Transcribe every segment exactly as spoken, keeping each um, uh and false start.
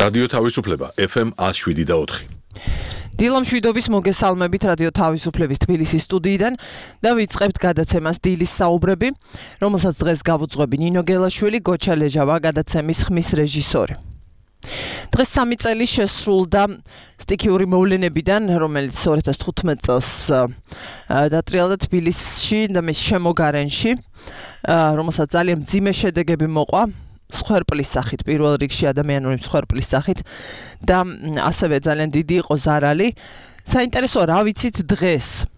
რადიო თავისუფლება ეფ ემ one oh seven და four. დილა მშვიდობის მოგესალმებით რადიო თავისუფლების თბილისის სტუდიიდან და ვიწყებთ გადაცემას დილის საუბრები, რომელსაც დღეს გავუძღვები ნინო გელაშვილი, გოჩა ლეჟავა, გადაცემის ხმის რეჟისორი. დღეს სამი წელი შესრულდა სტიქიური მოვლენებიდან, რომელიც two thousand fifteen წელს დატრიალდა თბილისში და მის შემოგარენში, რომელსაც ძალიან მძიმე შედეგები მოყვა. Სხვერპლის სახით, პირველ რიგში ადამიანური სხვერპლის სახით და ასევე ძალიან დიდი იყო ზარალი. საინტერესოა რა ვიცით დღეს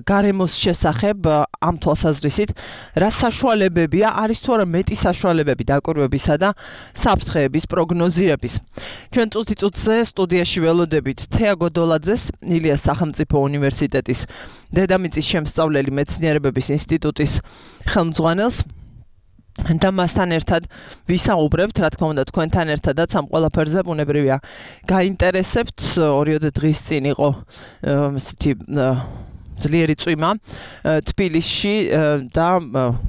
გარემოს შესახებ ამ თვალსაზრისით, რა საშუალებებია, არის თუ არა მეტი საშუალებები დაკვირვებისა და საფრთხეების პროგნოზირების. ჩვენ წუთიწუთზე სტუდიაში ველოდებით თეა გოდოლაძეს, ილიას სახელმწიფო უნივერსიტეტის დედამიწის შემსწავლელი მეცნიერებების ინსტიტუტის ხელმძღვანელს. და მასთან ერთად ვისაუბრებთ, რა თქმა უნდა, თქვენთან ერთადაც ამ ყველაფერზე ბუნებრივია გაინტერესებთ. ორიოდე დღის წინ იყო ესეთი ძლიერი წვიმა თბილისში და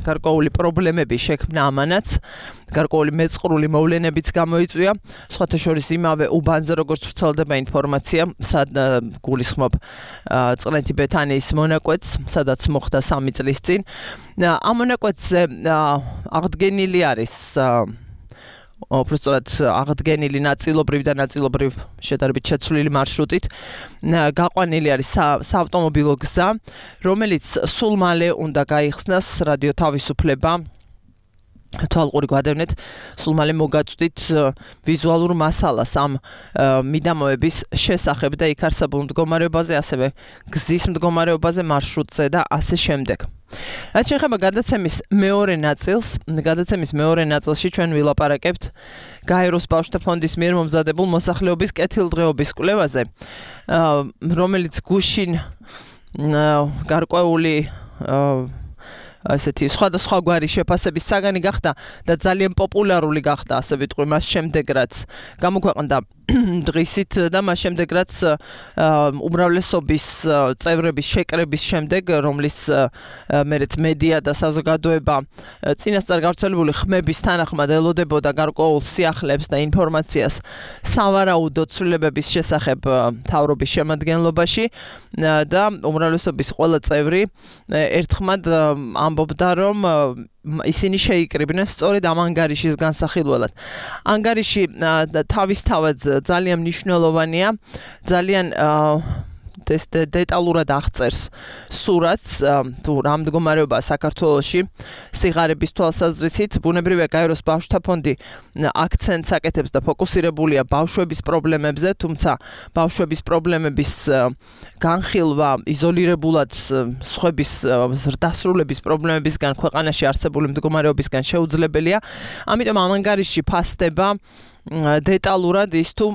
გარკვეული პრობლემები შექმნა ამანაც, გარკვეული მეწყრული მოვლენებიც გამოიწვია. სხვათა შორის იმავე უბანზე, როგორც ვრცელდება ინფორმაცია, სად გულისხმობ წყლეთი ბეთანიის მონაკვეთს, სადაც მოხდა სამი წლის წინ. ამ მონაკვეთზე აღდგენილი არის უბრალოდ აღდგენილი ნაწილობრივ და ნაწილობრივ შედარებით შეცვლილი მარშრუტით გაყვანილი არის საავტომობილო გზა, რომელიც სულ მალე უნდა გაიხსნას რადიო თავისუფლება. თვალყური გვადევნეთ, სულ მალე მოგაწვდით ვიზუალურ მასალას ამ მიდამოების შესახებ და იქ არსებულ მდგომარეობაზე, ასევე გზის მდგომარეობაზე, მარშრუტზე და ასე შემდეგ. რაც შეეხება გადაცემის მეორე ნაწილს, გადაცემის მეორე ნაწილში ჩვენ ვილაპარაკებთ გაეროს ბავშვთა ფონდის მიერ მომზადებულ მოსახლეობის კეთილდღეობის კვლევაზე, რომელიც გუშინ გარკვეული ასეთი სხვადასხვა გვარი შეფასების საგანი გახდა და ძალიან პოპულარული გახდა, ასე ვიტყვი, მას შემდეგ რაც გამოქვეყნდა დღისით და მას შემდეგ რაც უმრავლესობის წევრების შეკრების შემდეგ, რომლის მერეც მედია და საზოგადოება წინასწარ გავრცელებული ხმების თანახმად ელოდებოდა გარკვეულ სიახლეებს და ინფორმაციას სავარაუდო ცვლილებების შესახებ მთავრობის შემადგენლობაში და უმრავლესობის ყველა წევრი ერთხმად ამბობდა, რომ ისინი შეიკრიბნენ სწორედ ამ ანგარიშის განსახილველად. ანგარიში თავისთავად ძალიან მნიშვნელოვანია, ძალიან დეტალურად აღწერს სურათს თუ რა მდგომარეობაა საქართველოში სიღარიბის თვალსაზრისით. ბუნებრივია გაეროს ბავშვთა ფონდი აქცენტს აკეთებს და ფოკუსირებულია ბავშვების პრობლემებზე, თუმცა ბავშვების პრობლემების განხილვა იზოლირებულად სხვების ზრდასრულების პრობლემებისგან, ქვეყანაში არსებული მდგომარეობისგან შეუძლებელია. ამიტომ ამ ანგარიში ფასდება დეტალურად ის თუ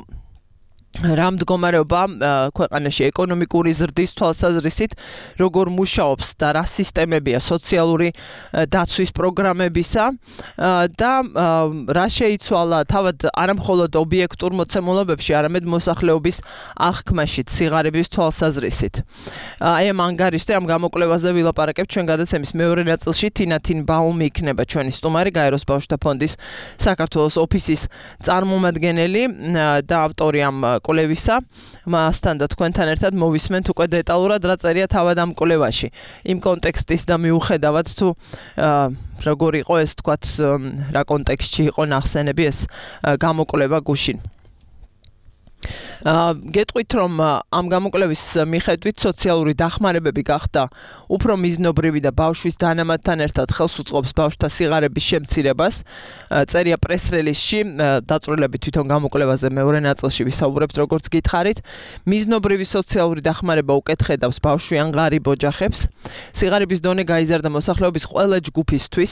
რა მდგომარეობა ქვეყანაში ეკონომიკური ზრდის თვალსაზრისით, როგორ მუშაობს და რა სისტემებია სოციალური დაცვის პროგრამებისა და რა შეიცვალა თავად არამხოლოდ ობიექტურ მოცემულობებში, არამედ მოსახლეობის აღქმაშიც სიღარიბის თვალსაზრისით. აი ამ ანგარიშზე, ამ გამოკვლევაზე ვილაპარაკებთ ჩვენ გადაცემის მეორე ნაწილში. თინა თინბაუმი იქნება ჩვენი სტუმარი, გაეროს ბავშვთა ფონდის საქართველოს ოფისის წარმომადგენელი და ავტორი ამ კვლევისა. მასთან და თქვენთან ერთად მოვისმენთ უკვე დეტალურად რა წერია თავად ამ კვლევაში. იმ კონტექსტის და მიუხედავად თუ როგორ იყო ეს, თქვათ, რა კონტექსტში იყო ნახსენები ეს გამოკვლევა გუშინ. გეტყვით, რომ ამ გამოკვლევის მიხედვით სოციალური დახმარებები გახდა უფრო მიზნობრივი და ბავშვის დანამატთან ერთად ხელს უწყობს ბავშვთა სიღარიბის შემცირებას. წერია პრეს-რელიზში, დაწვრილებით თვითონ გამოკვლევაზე მეორე ნაწილში ვისაუბრებთ, როგორც გითხარით. მიზნობრივი სოციალური დახმარება უკეთხედავს ბავშვიან ღარიბ ოჯახებს. სიღარიბის დონე გაიზარდა მოსახლეობის ყველა ჯგუფისთვის,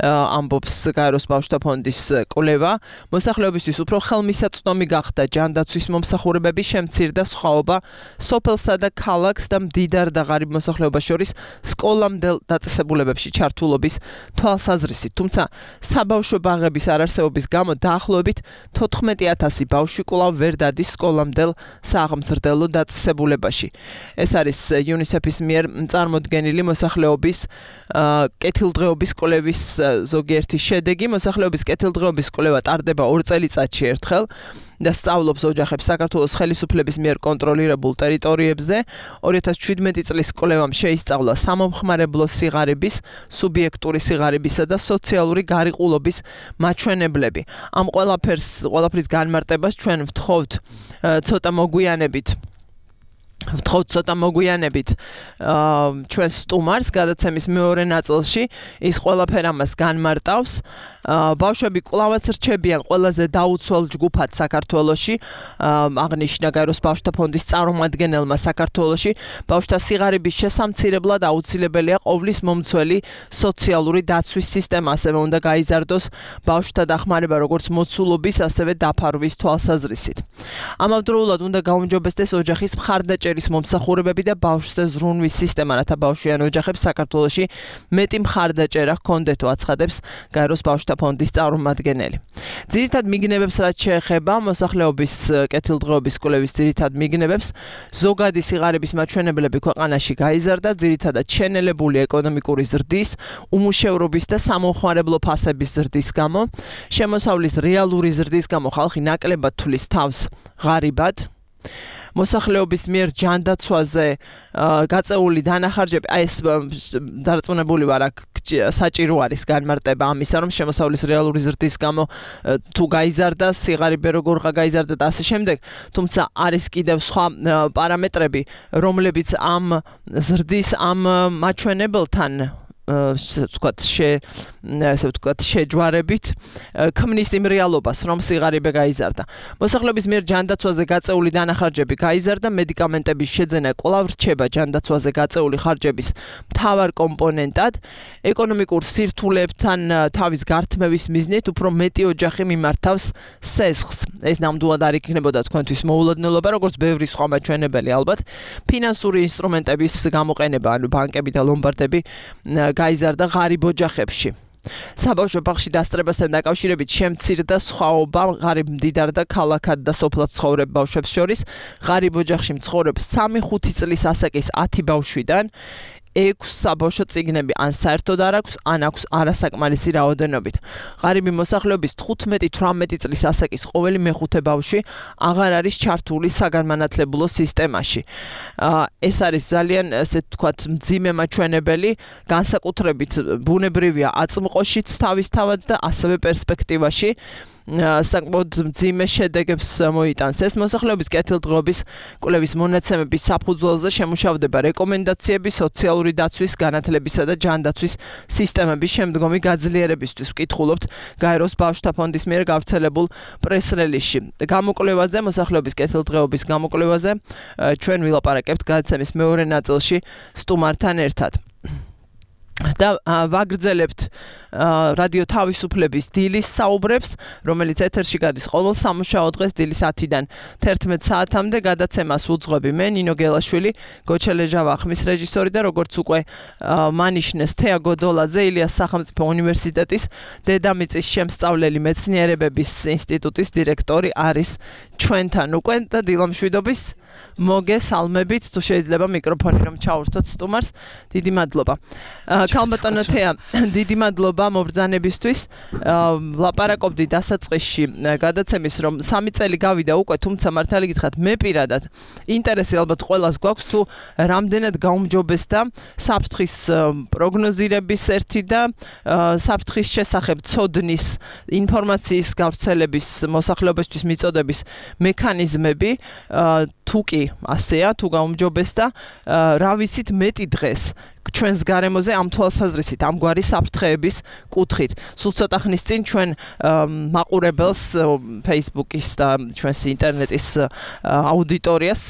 ამბობს გაეროს ბავშვთა ფონდის კვლევა. მოსახლეობისთვის უფრო ხელმისაწვდომი გახდა ჯანდაცვის მომსახურებები შემცირდა სხვაობა სოფელსა და ქალაქს და მდიდარ და ღარიბ მოსახლეობას შორის სკოლამდელ დაწესებულებებში ჩართულობის თვალსაზრისით. თუმცა საბავშვო ბაღების არარსებობის გამო დაახლოებით თოთხმეტი ათასი ბავშვი კვლავ ვერ დადის სკოლამდელ სააღმზრდელო დაწესებულებაში. ეს არის იუნისეფის მიერ წარმოდგენილი მოსახლეობის კეთილდღეობის კვლევის ზოგიერთი შედეგი. მოსახლეობის კეთილდღეობის კვლევა ტარდება ორ წელიწადში ერთხელ და სწავლობს ოჯახებს საქართველოს ხელისუფლების მიერ კონტროლირებულ ტერიტორიებზე. ორი ათას შვიდმეტი წლის კვლევამ შეისწავლა სამომხმარებლო სიღარიბის, სუბიექტური სიღარიბისა და სოციალური გარიყულობის მაჩვენებლები. ამ ყველაფერს, ყველაფრის განმარტებას ჩვენ ვთხოვთ ცოტა მოგვიანებით. ვთხოვთ ცოტა მოგვიანებით ჩვენ სტუმარს გადაცემის მეორე ნაწილში ის ყველაფერ ამას განმარტავს. ბავშვები კვლავაც რჩებიან ყველაზე დაუცველ ჯგუფად საქართველოში. აღნიშნა გაეროს ბავშვთა ფონდის წარმომადგენელმა საქართველოში ბავშვთა სიღარიბის შესამცირებლად აუცილებელია ყოვლის მომცველი სოციალური დაცვის სისტემა, ასევე უნდა გაიზარდოს ბავშვთა დახმარება როგორც მოცულობის, ასევე დაფარვის თვალსაზრისით. ამავდროულად უნდა გაუმჯობესდეს ოჯახის მხარდაჭერის მომსახურებები და ბავშვზე ზრუნვის სისტემა, რათა ბავშვიან ოჯახებს საქართველოში მეტი მხარდაჭერა ჰქონდეთო, აცხადებს გაეროს ბავშვთა ფონდის წარმომადგენელი. ძირითად მიგნებებს რაც შეეხება მოსახლეობის კეთილდღეობის კვლევის ძირითად მიგნებებს, ზოგადი სიღარიბის მაჩვენებლები ქვეყანაში გაიზარდა, ძირითადად შენელებული ეკონომიკური ზრდის, უმუშევრობის და სამომხმარებლო ფასების ზრდის გამო. შემოსავლის რეალური ზრდის გამო ხალხი ნაკლებად თვლის თავს ღარიბად. მოსახლეობის მიერ ჯანდაცვაზე გაწეული დანახარჯები, აი ეს დარწმუნებული ვარ, აქ საჭირო არის განმარტება ამისა, რომ შემოსავლის რეალური ზრდის გამო თუ გაიზარდა სიღარიბე როგორღა გაიზარდა და ასე შემდეგ, თუმცა არის კიდევ სხვა პარამეტრები, რომლებიც ამ ზრდის ამ მაჩვენებელთან ვთქვათ, ესე ვთქვათ, შეჯვარებით ქმნის იმ რეალობას, რომ სიღარიბე გაიზარდა. მოსახლეობის მიერ ჯანდაცვაზე გაწეული დანახარჯები გაიზარდა, მედიკამენტების შეძენა კვლავ რჩება ჯანდაცვაზე გაწეული ხარჯების მთავარ კომპონენტად. ეკონომიკურ სირთულეებთან თავის გართმევის მიზნით უფრო მეტი ოჯახი მიმართავს სესხს. ეს ნამდვილად არ იქნებოდა თქვენთვის მოულოდნელობა, როგორც ბევრი სხვა მაჩვენებელი ალბათ. ფინანსური ინსტრუმენტების გამოყენება, ანუ ბანკები და ლომბარდები გაიზარდა ღარიბ ოჯახებში. საბავშვო ბაღში დასწრებასთან დაკავშირებით შემცირდა სხვაობა ღარიბ მდიდარ და ქალაქად და სოფლად ცხოვრებ ბავშვებს შორის. ღარიბ ოჯახში მცხოვრებ სამი ხუთი წლის ასაკის ათი ბავშვიდან ექვს საბავშვო წიგნები ან საერთოდ არ აქვს, ან აქვს არასაკმარისი რაოდენობით. ღარიბი მოსახლეობის თხუთმეტი თვრამეტი წლის ასაკის ყოველი მეხუთე ბავშვი აღარ არის ჩართული საგანმანათლებლო სისტემაში. ეს არის ძალიან, ესე ვთქვათ, მძიმე მაჩვენებელი, განსაკუთრებით ბუნებრივია აწმყოშიც თავისთავად და ასევე პერსპექტივაში საკმაოდ მძიმე შედეგებს მოიტანს. ეს მოსახლეობის კეთილდღეობის კვლევის მონაცემების საფუძველზე შემუშავდება რეკომენდაციები სოციალური დაცვის, განათლებისა და ჯანდაცვის სისტემების შემდგომი გაძლიერებისთვის. ვკითხულობთ გაეროს ბავშვთა ფონდის მიერ გავრცელებულ პრეს-რელიზში. გამოკვლევაზე, მოსახლეობის კეთილდღეობის გამოკვლევაზე ჩვენ ვილაპარაკებთ გადაცემის მეორე ნაწილში სტუმართან ერთად. და ვაგრძელებთ რადიო თავისუფლების დილის საუბრებს, რომელიც ეთერში გადის ყოველ სამუშაო დღეს დილის ათიდან თერთმეტ საათამდე. გადაცემას უძღვები მე, ნინო გელაშვილი, გოჩელეჟავა ხმის რეჟისორი და როგორც უკვე მანიშნეს თეა გოდოლაძე, ილიას სახელმწიფო უნივერსიტეტის დედამიწის შემსწავლელი მეცნიერებების ინსტიტუტის დირექტორი არის ჩვენთან უკვე და დილამშვიდობის მოგესალმებით, თუ შეიძლება მიკროფონი რომ ჩაურთოთ სტუმარს. დიდი მადლობა. ქალბატონო თეა, დიდი მადლობა მობრძანებისთვის. ლაპარაკობდი დასაწყისში გადაცემის, რომ სამი წელი გავიდა უკვე, თუმცა მართალი გითხრათ, მე პირადად ინტერესი ალბათ ყველას გვაქვს, თუ რამდენად გაუმჯობესდა საფრთხის პროგნოზირების ერთი და საფრთხის შესახებ ცოდნის ინფორმაციის გავრცელების მოსახლეობისთვის მიწოდების მექანიზმები, თუ კი ასეა, თუ გაუმჯობესდა, რა ვიცით მეტი დღეს ჩვენს გარემოზე ამ თვალსაზრისით, ამგვარი საფრთხეების კუთხით. სულ ცოტა ხნის წინ ჩვენ მაყურებელს Facebook-ის და ჩვენს ინტერნეტის აუდიტორიას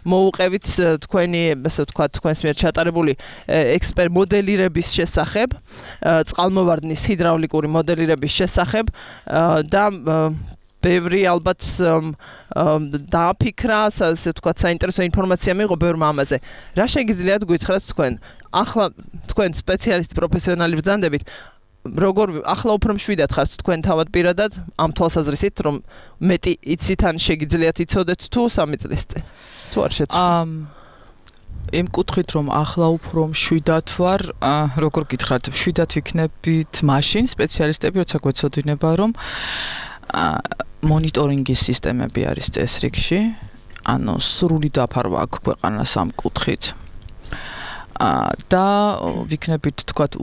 მოუყევით თქვენი, ასე ვთქვათ, თქვენს მიერ ჩატარებული ექსპერტ მოდელირების შესახებ, წყალმოვარდნის ჰიდრაულიკური მოდელირების შესახებ და ბევრი ალბათ დააფიქრა, ასე ვთქვათ, საინტერესო ინფორმაცია მიიღო ბევრმა ამაზე. რა შეგიძლიათ გითხრათ თქვენ? ახლა თქვენ სპეციალისტი პროფესიონალი ბრძანდებით, როგორ ახლა უფრო მშვიდად ხართ თქვენ თავად პირადად ამ თვალსაზრისით, რომ მეტი იცით ან შეგიძლიათ იცოდეთ თუ სამი წლის წინ? თუ არ შეცვლით? იმ კუთხით რომ ახლა უფრო მშვიდად ვარ, როგორ გითხრათ, მშვიდად ვიქნებით მაშინ სპეციალისტები როცა გვეცოდინება რომ მონიტორინგის სისტემები არის წესრიგში, ანუ სრული დაფარვა აქვს ქვეყანას ამ კუთხით. და ვიქნებით თქვათ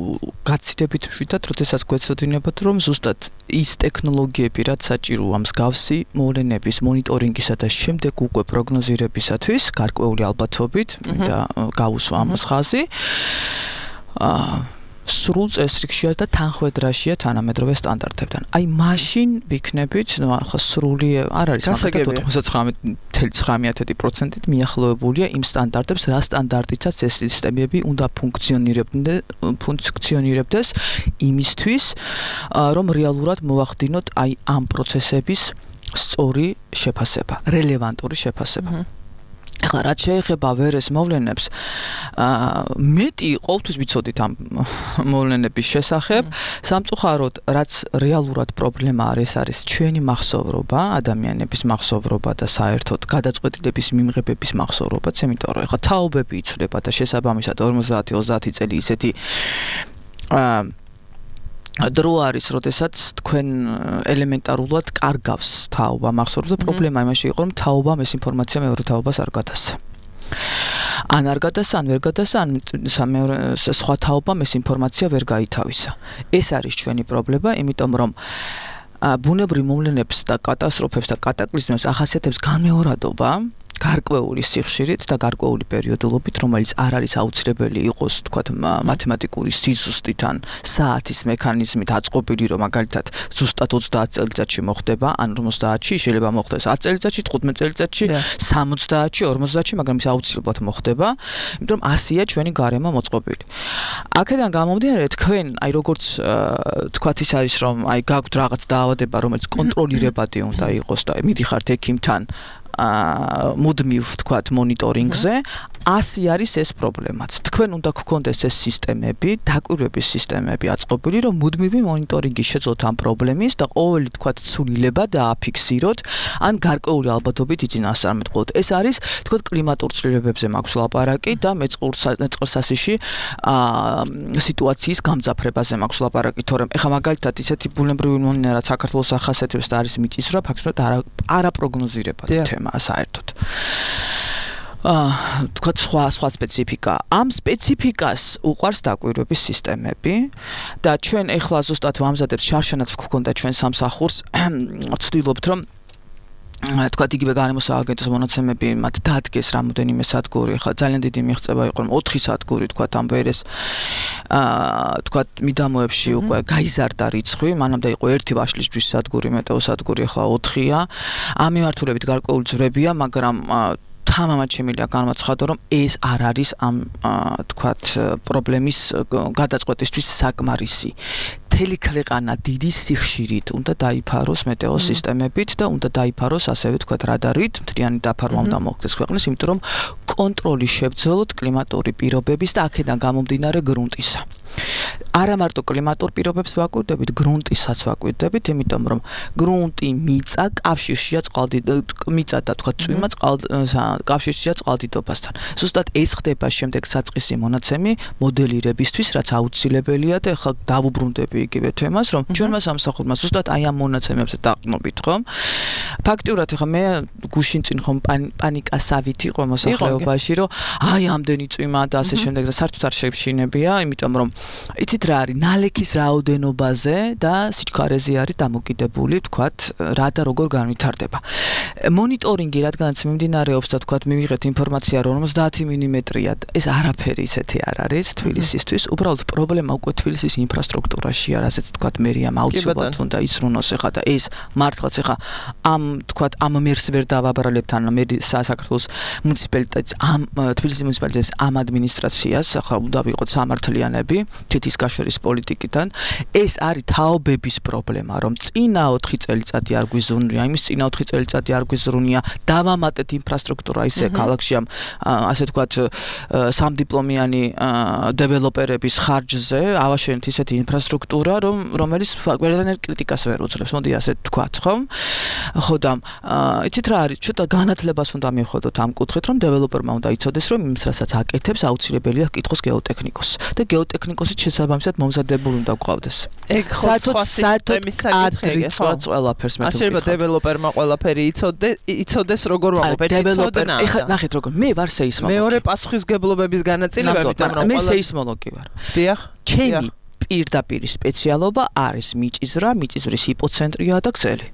გაცილებით მშვიდად, როდესაც გვეცოდინებათ რომ ზუსტად ის ტექნოლოგიები, რაც საჭიროა მსგავსი მოვლენების მონიტორინგისა და შემდეგ უკვე პროგნოზირებისათვის გარკვეული ალბათობით და გავუსვა ამ ხაზი სრულ წესრიგშია და თანხმედრაშია თანამედროვე სტანდარტებთან. აი მაშინ ვიქნებით, ნუ ახლა სრული არ არის ოცდათხმეტ ცხრამეტ პროცენტით მიახლოებულია იმ სტანდარტებს, რა სტანდარტითაც ეს სისტემები უნდა ფუნქციონირებდეს იმისთვის, რომ რეალურად მოვახდინოთ აი ამ პროცესების სწორი შეფასება, რელევანტური შეფასება. ახლა რაც შეეხება ვერეს მოვლენებს, მეტი ყოველთვის ვიცოდით ამ მოვლენების შესახებ, სამწუხაროდ რაც რეალურად პრობლემა არის, არის ჩვენი მახსოვრობა, ადამიანების მახსოვრობა და საერთოდ გადაწყვეტილების მიღებების მახსოვრობაც, იმიტომ რომ ახლა თაობები იცვლება და შესაბამისად ორმოცდაათი ოცდაათი წელი ისეთი დრო არის, როდესაც თქვენ ელემენტარულად კარგავს თაობა მახსოვრებს და პრობლემა იმაში იყო, რომ თაობამ ეს ინფორმაცია მეორე თაობას არ გადასცა. ან არ გადასცა, ან ვერ გადასცა, ან სხვა თაობამ ეს ინფორმაცია ვერ გაითავისა. ეს არის ჩვენი პრობლემა, იმიტომ რომ ბუნებრივ მოვლენებს და კატასტროფებს და კატაკლიზმებს ახასიათებს განმეორადობა, გარკვეული სიხშირით და გარკვეული პერიოდულობით, რომელიც არ არის აუცილებელი იყოს, თქვათ, მათემატიკური სიზუსტით ან საათის მექანიზმით აწყობილი, რომ მაგალითად ზუსტად ოცდაათ წელიწადში მოხდება, ან ორმოცდაათში, შეიძლება მოხდეს ათი წელიწადში, თხუთმეტ წელიწადში, სამოცდაათში, ორმოცდაათში, მაგრამ ის აუცილებლად მოხდება, იმიტომ რომ ასია ჩვენი გარემო მოწყობილი. აქედან გამომდინარე, თქვენ, აი როგორც თქვათ ის არის, რომ აი გაქვთ რაღაც დაავადება, რომელიც კონტროლირებადი უნდა იყოს და მიდიხართ ექიმთან მუდმივ თქვათ მონიტორინგზე, ასი არის ეს პრობლემაც. თქვენ უნდა გქონდეს ეს სისტემები, დაკვირვების სისტემები აწყობილი, რომ მუდმივი მონიტორინგი შეძლოთ ამ პრობლემის და ყოველი თქვათ ცვლილება დააფიქსიროთ, ან გარკვეული ალბათობით იწინასწარმეტყველოთ. ეს არის თქვათ კლიმატურ ცვლილებებზე მაქვს ლაპარაკი და მეწყერსასიში სიტუაციის გამძაფრებაზე მაქვს ლაპარაკი, თორემ ეხლა მაგალითად ისეთი ბუნებრივი მოვლენა, რაც საქართველოს ახასიათებს და არის მიწისძვრა, ფაქტობრივად არაპროგნოზირებადი თემა საერთოდ. თქვათ სხვა სხვა სპეციფიკა. ამ სპეციფიკას უყვარს დაკვირვების სისტემები და ჩვენ ეხლა ზუსტად ვამზადებთ შარშანაც გვქონდა ჩვენ სამსახურს, ვცდილობთ რომ თქვათ იგივე გარემოს სააგენტოს მონაცემები მათ დაადგეს რამოდენიმე სადგური, ხა ძალიან დიდი მიღწევა იყო, რომ ოთხი სადგური თქვათ ამ ვერეს თქვათ მიდამოებში უკვე გაიზარდა რიცხვი, მანამდე იყო ერთი ვაშლისჯვრის სადგური, მეტეო სადგური, ხა ოთხია. ამ მიმართულებით გარკვეული ძვრებია, მაგრამ თამამად შემიძლია განვაცხადო, რომ ეს არ არის ამ თქვათ პრობლემის გადაწყვეტისთვის საკმარისი. მთელი ქვეყანა დიდი სიხშირით უნდა დაიფაროს მეტეო სისტემებით და უნდა დაიფაროს ასევე თქვათ რადარით, მთლიანი დაფარვა უნდა მოხდეს ქვეყნის, იმიტომ რომ კონტროლი შევძელოთ კლიმატური პირობების და აქედან გამომდინარე გრუნტისა. არა მარტო კლიმატურ პირობებს ვაკვირდებით, გრუნტისაც ვაკვირდებით, იმიტომ რომ გრუნტი, მიწა კავშირშია მიწა და თქვათ წვიმა კავშირშია წყალდიდობასთან. ზუსტად ეს ხდება შემდეგ საწყისი მონაცემი მოდელირებისთვის, რაც აუცილებელია და ახლა დავუბრუნდები იგივე თემას, რომ ჩვენმა სამსახურმა ზუსტად აი ამ მონაცემებზე დაყნობით, ხომ? ფაქტიურად ახლა მე გუშინ წინ ხომ პანიკასავით იყო მოსახლეობაში, რომ აი ამდენი წვიმა და ასე შემდეგ და საერთოდ არ შევშინებია, იმიტომ რომ იცით რა არის, ნალექის რაოდენობაზე და სიჩქარეზე არის დამოკიდებული, თქვათ, რა და როგორ განვითარდება. მონიტორინგი, რადგანაც მიმდინარეობს და თქვათ, მივიღეთ ინფორმაცია, რომ ორმოცდაათი მილიმეტრია, ეს არაფერი ისეთი არ არის თბილისისთვის, უბრალოდ პრობლემა უკვე თბილისის ინფრასტრუქტურაშია, რასაც თქვათ, მერიამ აუცილებლად უნდა ისრუნოს ახლა და ეს მართლაც ახლა ამ თქვათ, ამ მერს ვერ დავაბრალებთ, ან მე საქართველოს მუნიციპალიტეტს, ამ თბილისის მუნიციპალიტეტს, ამ ადმინისტრაციას, ახლა უნდა ვიყოთ სამართლიანები, თითის გაშორის პოლიტიკიდან ეს არის თაობების პრობლემა რომ წინა ოთხი წელიწადი არ გვიზრუნია იმის წინა ოთხი წელიწადი არ გვიზრუნია დავამატეთ ინფრასტრუქტურა ისე ქალაქში ამ ასე ვთქვათ სამდიპლომიანი დეველოპერების ხარჯზე ავაშენეთ ისეთი ინფრასტრუქტურა რომ რომელიც ყველანაირ კრიტიკას ვერ უძლებს მოდი ასე ვთქვათ ხო ხო და იცით რა არის ცოტა განათლებას უნდა მივხვდოთ ამ კუთხით რომ დეველოპერმა უნდა იცოდეს რომ იმის რასაც აკეთებს აუცილებელია კითხოს გეოტექნიკოსს და გეოტექნიკოსი შესაბამისად მომზადებული უნდა გყავდეს ეგ ხო საერთოდ ადრიც ყველაფერს მე არ შეიძლება დეველოპერმა ყველაფერი იცოდე იცოდეს როგორ ვამბობ დეველოპერი ეხლა ნახეთ როგორ მე ვარ სეისმოლოგი მეორე პასუხისგებლობების განაწილებებით ამ რომ მე სეისმოლოგი ვარ დიახ ჩემი პირდაპირ სპეციალობა არის მიწისძვრა მიწისძვრის ჰიპოცენტრია და ქსელი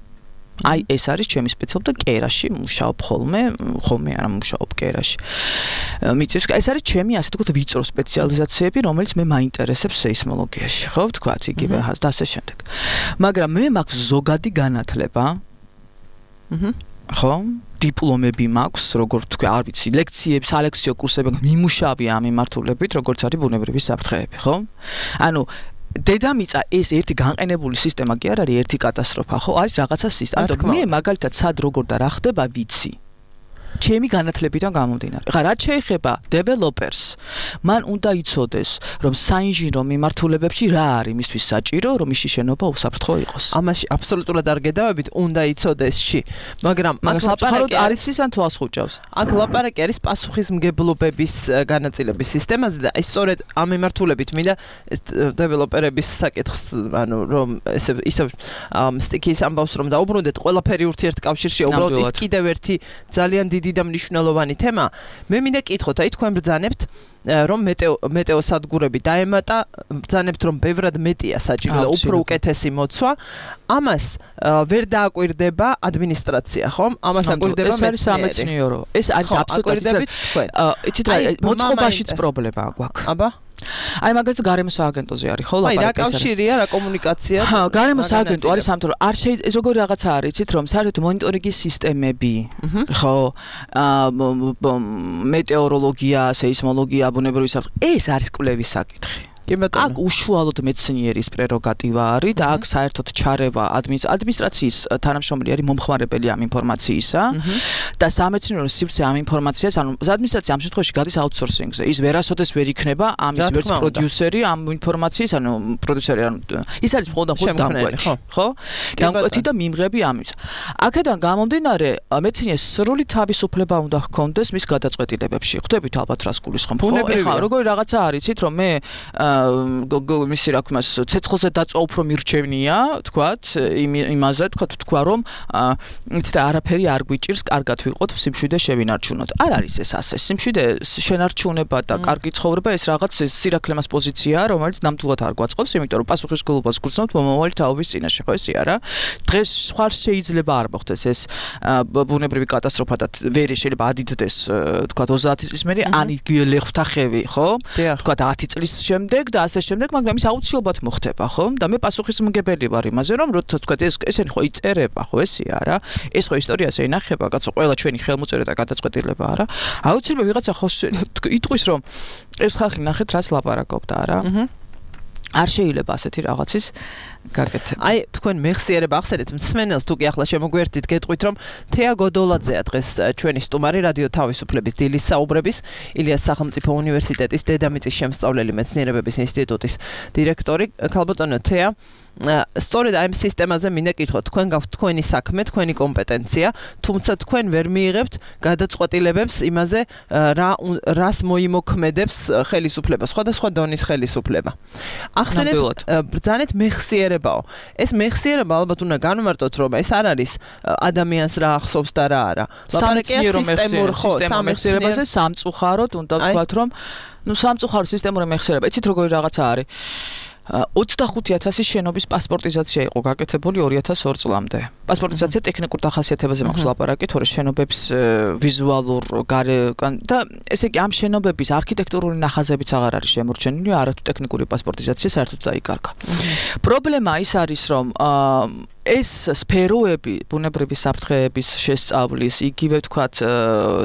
აი ეს არის ჩემი სპეციალობა და კერაში მუშაობ ხოლმე ხოლმე არა მუშაობ კერაში მიწის ეს არის ჩემი ასე თქვა ვიწრო სპეციალიზაციები რომელიც მე მაინტერესებს სეისმოლოგიაში ხო ვთქვათ იგივე და ასე შემდეგ მაგრამ მე მაქვს ზოგადი განათლება აჰა ხო დიპლომები მაქვს როგორ თქვა არ ვიცი ლექციები სალექციო კურსები მიმუშავია ამ მიმართულებით როგორც არის ბუნებრივი საფრთხეები ხო ანუ დედამიწა ეს ერთი განყენებული სისტემა კი არ არის ერთი კატასტროფა ხო არის რაღაცა სისტემა ანუ მე მაგალითად სად როგორ და რა ხდება ვიცი ჩემი განათლებიდან გამომდინარე. ხა რაც შეეხება დეველოპერს, მან უნდა იცოდეს, რომ საინჟინრო მიმართულებებში რა არის მისთვის საჭირო, რომ ის შენობა უსაფრთხო იყოს. ამაში აბსოლუტურად არ გედავებით, უნდა იცოდესში, მაგრამ აქ საფრთხოდ არ იცის ან თვალს ხუჭავს. აქ ლაპარაკი არის პასუხისმგებლობების განაწილების სისტემაზე და ის სწორედ ამ მიმართულებით მინდა დეველოპერების საკითხს, ანუ რომ ესე ისე სტიქის ამბავს რომ დაუბრუნდეთ, ყველაფერი ურთიერთკავშირშია, უბრალოდ ის კიდევ ერთი ძალიან დიდი და მნიშვნელოვანი თემა. მე მინდა კითხოთ, აი თქვენ ბრძანებთ რომ მეტეო მეტეოსადგურები დაემატა, ბრძანებთ რომ ბევრად მეტია საჭირო და უფრო უკეთესი მოცვა. ამას ვერ დააკვირდება ადმინისტრაცია, ხომ? ამას აკვირდება სამეცნიერო. ეს არის აბსოლუტურად იცით რა, მოწყობაშიც პრობლემა გვაქვს. აბა აი მაგალითად გარემოს სააგენტოზე არის ხო ლაპარაკი? აი რა კავშირია, რა კომუნიკაცია? ჰა, გარემოს სააგენტო არის ამიტომ არ შეიძლება ეს როგორი რაღაცა არის, იცით რომ საერთოდ მონიტორინგის სისტემები, ხო, მეტეოროლოგია, სეისმოლოგია, ბუნებრივი საფრთხე, ეს არის კვლევის საკითხი. აქ უშუალოდ მეცნიერის პრეროგატივა არის და აქ საერთოდ ჩარევა ადმინისტრაციის თანამშრომელი არის მომხმარებელი ამ ინფორმაციისა და სამეცნიერო სივრცე ამ ინფორმაციას, ანუ ადმინისტრაცია ამ შემთხვევაში გადის აუთსორსინგზე. ის ვერასოდეს ვერ იქნება ამის ვერც პროდიუსერი ამ ინფორმაციის, ანუ პროდიუსერი, ანუ ის არის მხოლოდ და მხოლოდ დამკვეთი, ხო? დამკვეთი და მიმღები ამის. აქედან გამომდინარე, მეცნიერს სრული თავისუფლება უნდა ჰქონდეს მის გადაწყვეტილებებში. ხვდებით ალბათ რას გულისხმობ, ხო? ეხლა როგორი რაღაცა არის, იცით რომ მე მისი რა ქვია ცეცხლზე დაწვა უფრო მირჩევნია, თქვათ, იმაზე, თქვათ, თქვა რომ იცით არაფერი არ გვიჭირს, კარგად ვიყოთ, სიმშვიდე შევინარჩუნოთ. არ არის ეს ასე. სიმშვიდე შენარჩუნება და კარგი ცხოვრება ეს რაღაც სირაქლემას პოზიციაა, რომელიც ნამდვილად არ გვაწყობს, იმიტომ რომ პასუხისმგებლობას გულისხმობთ მომავალი თაობის წინაშე, ხო ესე არა? დღეს სხვა შეიძლება არ მოხდეს ეს ბუნებრივი კატასტროფა და ვერ შეიძლება ადიდდეს, თქვათ ოცდაათი წლის მერე, ან იგელეხთა ხევი, ხო? თქვათ ათი წლის შემდეგ და ასე შემდეგ, მაგრამ ის აუცილებლად მოხდება, ხო? და მე პასუხისმგებელი ვარ იმაზე, რომ როცა თქვა ეს ესენი ხო იწერება, ხო ესე არა? ეს ხო ისტორიას ეინახება, კაცო, ყველა ჩვენი ხელმოწერა და გადაწყვეტილება არა. აუცილებლად ვიღაცა ხო იტყვის, რომ ეს ხალხი ნახეთ რას ლაპარაკობდა, არა? არ შეიძლება ასეთი რაღაცის გაკეთება. აი, თქვენ მეხსიერება ახსენეთ მსმენელს, თუ კი ახლა შემოგვერთით, გეტყვით, რომ თეა გოდოლაძეა დღეს ჩვენი სტუმარი რადიო თავისუფლების დილის საუბრების, ილიას სახელმწიფო უნივერსიტეტის დედამიწის შემსწავლელი მეცნიერებების ინსტიტუტის დირექტორი. ქალბატონო თეა, სწორედ აი ამ სისტემაზე მინდა კითხოთ, თქვენ გაქვთ თქვენი საქმე, თქვენი კომპეტენცია, თუმცა თქვენ ვერ მიიღებთ გადაწყვეტილებებს იმაზე, რა რას მოიმოქმედებს ხელისუფლება, სხვადასხვა დონის ხელისუფლება. ახსენეთ, ბრძანეთ მეხსიერებაო. ეს მეხსიერება ალბათ უნდა განვმარტოთ, რომ ეს არ არის ადამიანს რა ახსოვს და რა არა. ლაპარაკია სისტემურ ხო, სამეხსიერებაზე სამწუხაროდ უნდა ვთქვათ, რომ ნუ სამწუხარო სისტემური მეხსიერება, იცით როგორი რაღაცა არის. ოცდახუთი ათასი შენობის პასპორტიზაცია იყო გაკეთებული ორი ათას ორ წლამდე. პასპორტიზაცია ტექნიკურ დახასიათებაზე მაქვს ლაპარაკი, თორე შენობების ვიზუალურ გარე და ესე იგი ამ შენობების არქიტექტურული ნახაზებიც აღარ არის შემორჩენილი, არათუ ტექნიკური პასპორტიზაცია საერთოდ დაიკარგა. პრობლემა ის არის, რომ ეს სფეროები, ბუნებრივი საფრთხეების შესწავლის, იგივე ვთქვათ,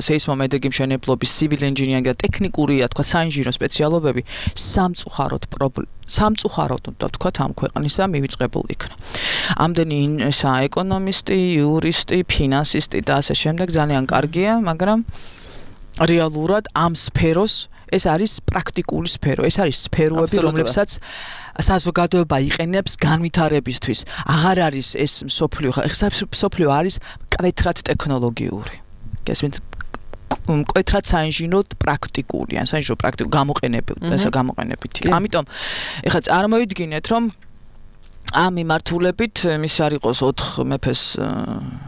სეისმომედეგი მშენებლობის, civil engineering და ტექნიკურია, თქვა საინჟინრო სპეციალობები სამწუხაროდ სამწუხაროდ უნდა ვთქვათ ამ ქვეყნისა მივიწყებულ იქნა. ამდენი ესა ეკონომისტი, იურისტი, ფინანსისტი და ასე შემდეგ ძალიან კარგია, მაგრამ რეალურად ამ სფეროს ეს არის პრაქტიკული სფერო, ეს არის სფეროები, რომლებსაც საზოგადოება იყენებს განვითარებისთვის. აღარ არის ეს მსოფლიო, ეხლა მსოფლიო არის მკვეთრად ტექნოლოგიური. გესმით? მკვეთრად საინჟინრო პრაქტიკული, ან საინჟინრო პრაქტიკული გამოყენებები, ესა გამოყენებითი. ამიტომ ეხლა წარმოვიდგინეთ, რომ ამ მიმართულებით მის არ იყოს ოთხ მეფეს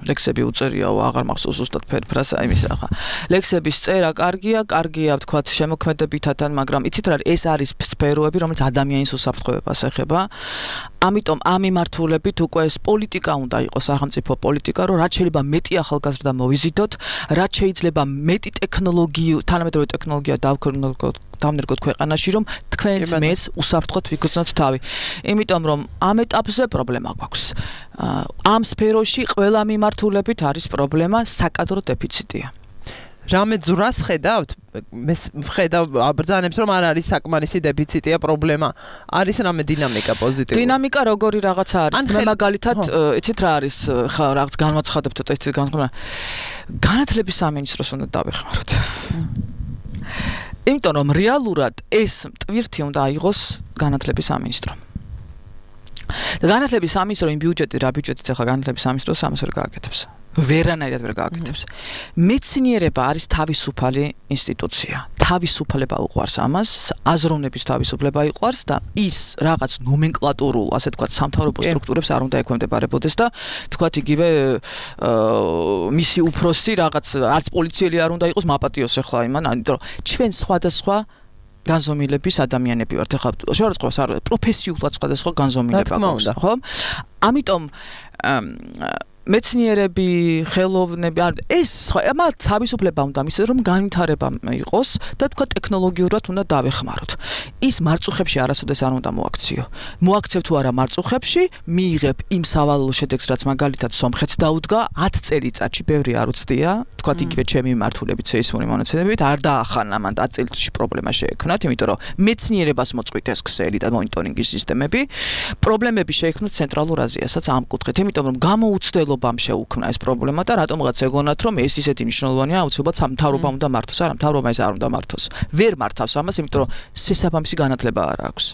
ლექსები უწერიაო, აღარ მახსოვს ზუსტად ფერფრას, აი მის ახლა ლექსების წერა კარგია, კარგია ვთქვათ შემოქმედებითთან, მაგრამ იცით რა, ეს არის სფეროები, რომელიც ადამიანის უსაფრთხოებას ეხება. ამიტომ ამ მიმართულებით უკვე ეს პოლიტიკა უნდა იყოს, სახელმწიფო პოლიტიკა, რომ რაც შეიძლება მეტი ახალგაზრდა მოვიზიდოთ, რაც შეიძლება მეტი ტექნოლოგია, თანამედროვე ტექნოლოგია დავქრნოთ დამნერგოთ ქვეყანაში, რომ თქვენც მეც უსაფრთხოდ ვიგრძნოთ თავი. იმიტომ რომ ამ ეტაპზე პრობლემა გვაქვს. ამ სფეროში ყველა მიმართულებით არის პრობლემა, საკადრო დეფიციტია. რამე ძვრას ხედავთ? მე ვხედავ აბრძანებს, რომ არ არის საკმარისი დეფიციტია პრობლემა. არის რამე დინამიკა პოზიტიური? დინამიკა როგორი რაღაცა არის? მე მაგალითად, იცით რა არის, ხა რაღაც განვაცხადებთ ცოტა ისეთი განსხვავება. განათლების სამინისტროს უნდა დავეხმაროთ. იმიტომ რომ რეალურად ეს ტვირთი უნდა აიღოს განათლების სამინისტრო. და განათლების სამინისტრო იმ ბიუჯეტი, რა ბიუჯეტით ახლა განათლების სამინისტროს ამას ვერ გააკეთებს. ვერანაირად ვერ გააკეთებს. მეცნიერება არის თავისუფალი ინსტიტუცია. თავისუფლება უყვარს ამას, აზროვნების თავისუფლება იყვარს და ის რაღაც ნომენკლატურულ, ასე ვთქვათ, სამთავრობო სტრუქტურებს არ უნდა ექვემდებარებოდეს და ვთქვათ იგივე მისი უფროსი რაღაც არც პოლიციელი არ უნდა იყოს მაპატიოს ახლა იმან, იმიტომ რომ ჩვენ სხვადასხვა განზომილების ადამიანები ვართ. ახლა შეურაცხყოფას არ პროფესიულად სხვადასხვა განზომილება გვაქვს, ხო? ამიტომ მეცნიერები, ხელოვნები, ეს მათ თავისუფლება უნდა მისცეს, რომ განვითარება იყოს და თქვა ტექნოლოგიურად უნდა დავეხმაროთ. ის მარწუხებში არასოდეს არ უნდა მოაქციო. მოაქცევ თუ არა მარწუხებში, მიიღებ იმ სავალალო შედეგს, რაც მაგალითად სომხეთს დაუდგა ათ წელიწადში, ბევრი არ უცდია, თქვა იგივე ჩემი მიმართულებით, სეისმური მონაცემებით, არ დაახანა მან ათ წელიწადში პრობლემა შეექმნათ, იმიტომ რომ მეცნიერებას მოწყვიტეს ქსელი და მონიტორინგის სისტემები, პრობლემები შეექმნათ ცენტრალურ აზიასაც ამ კუთხით, იმიტომ რომ გამოუცდელობამ შეუქმნა ეს პრობლემა და რატომღაც ეგონათ, რომ ეს ისეთი მნიშვნელოვანია, აუცილებლად სამთავრობა უნდა მართოს, არა, მთავრობა ეს არ უნდა მართოს. ვერ მართავს ამას, იმიტომ რომ შესაბამისი განათლება არ აქვს.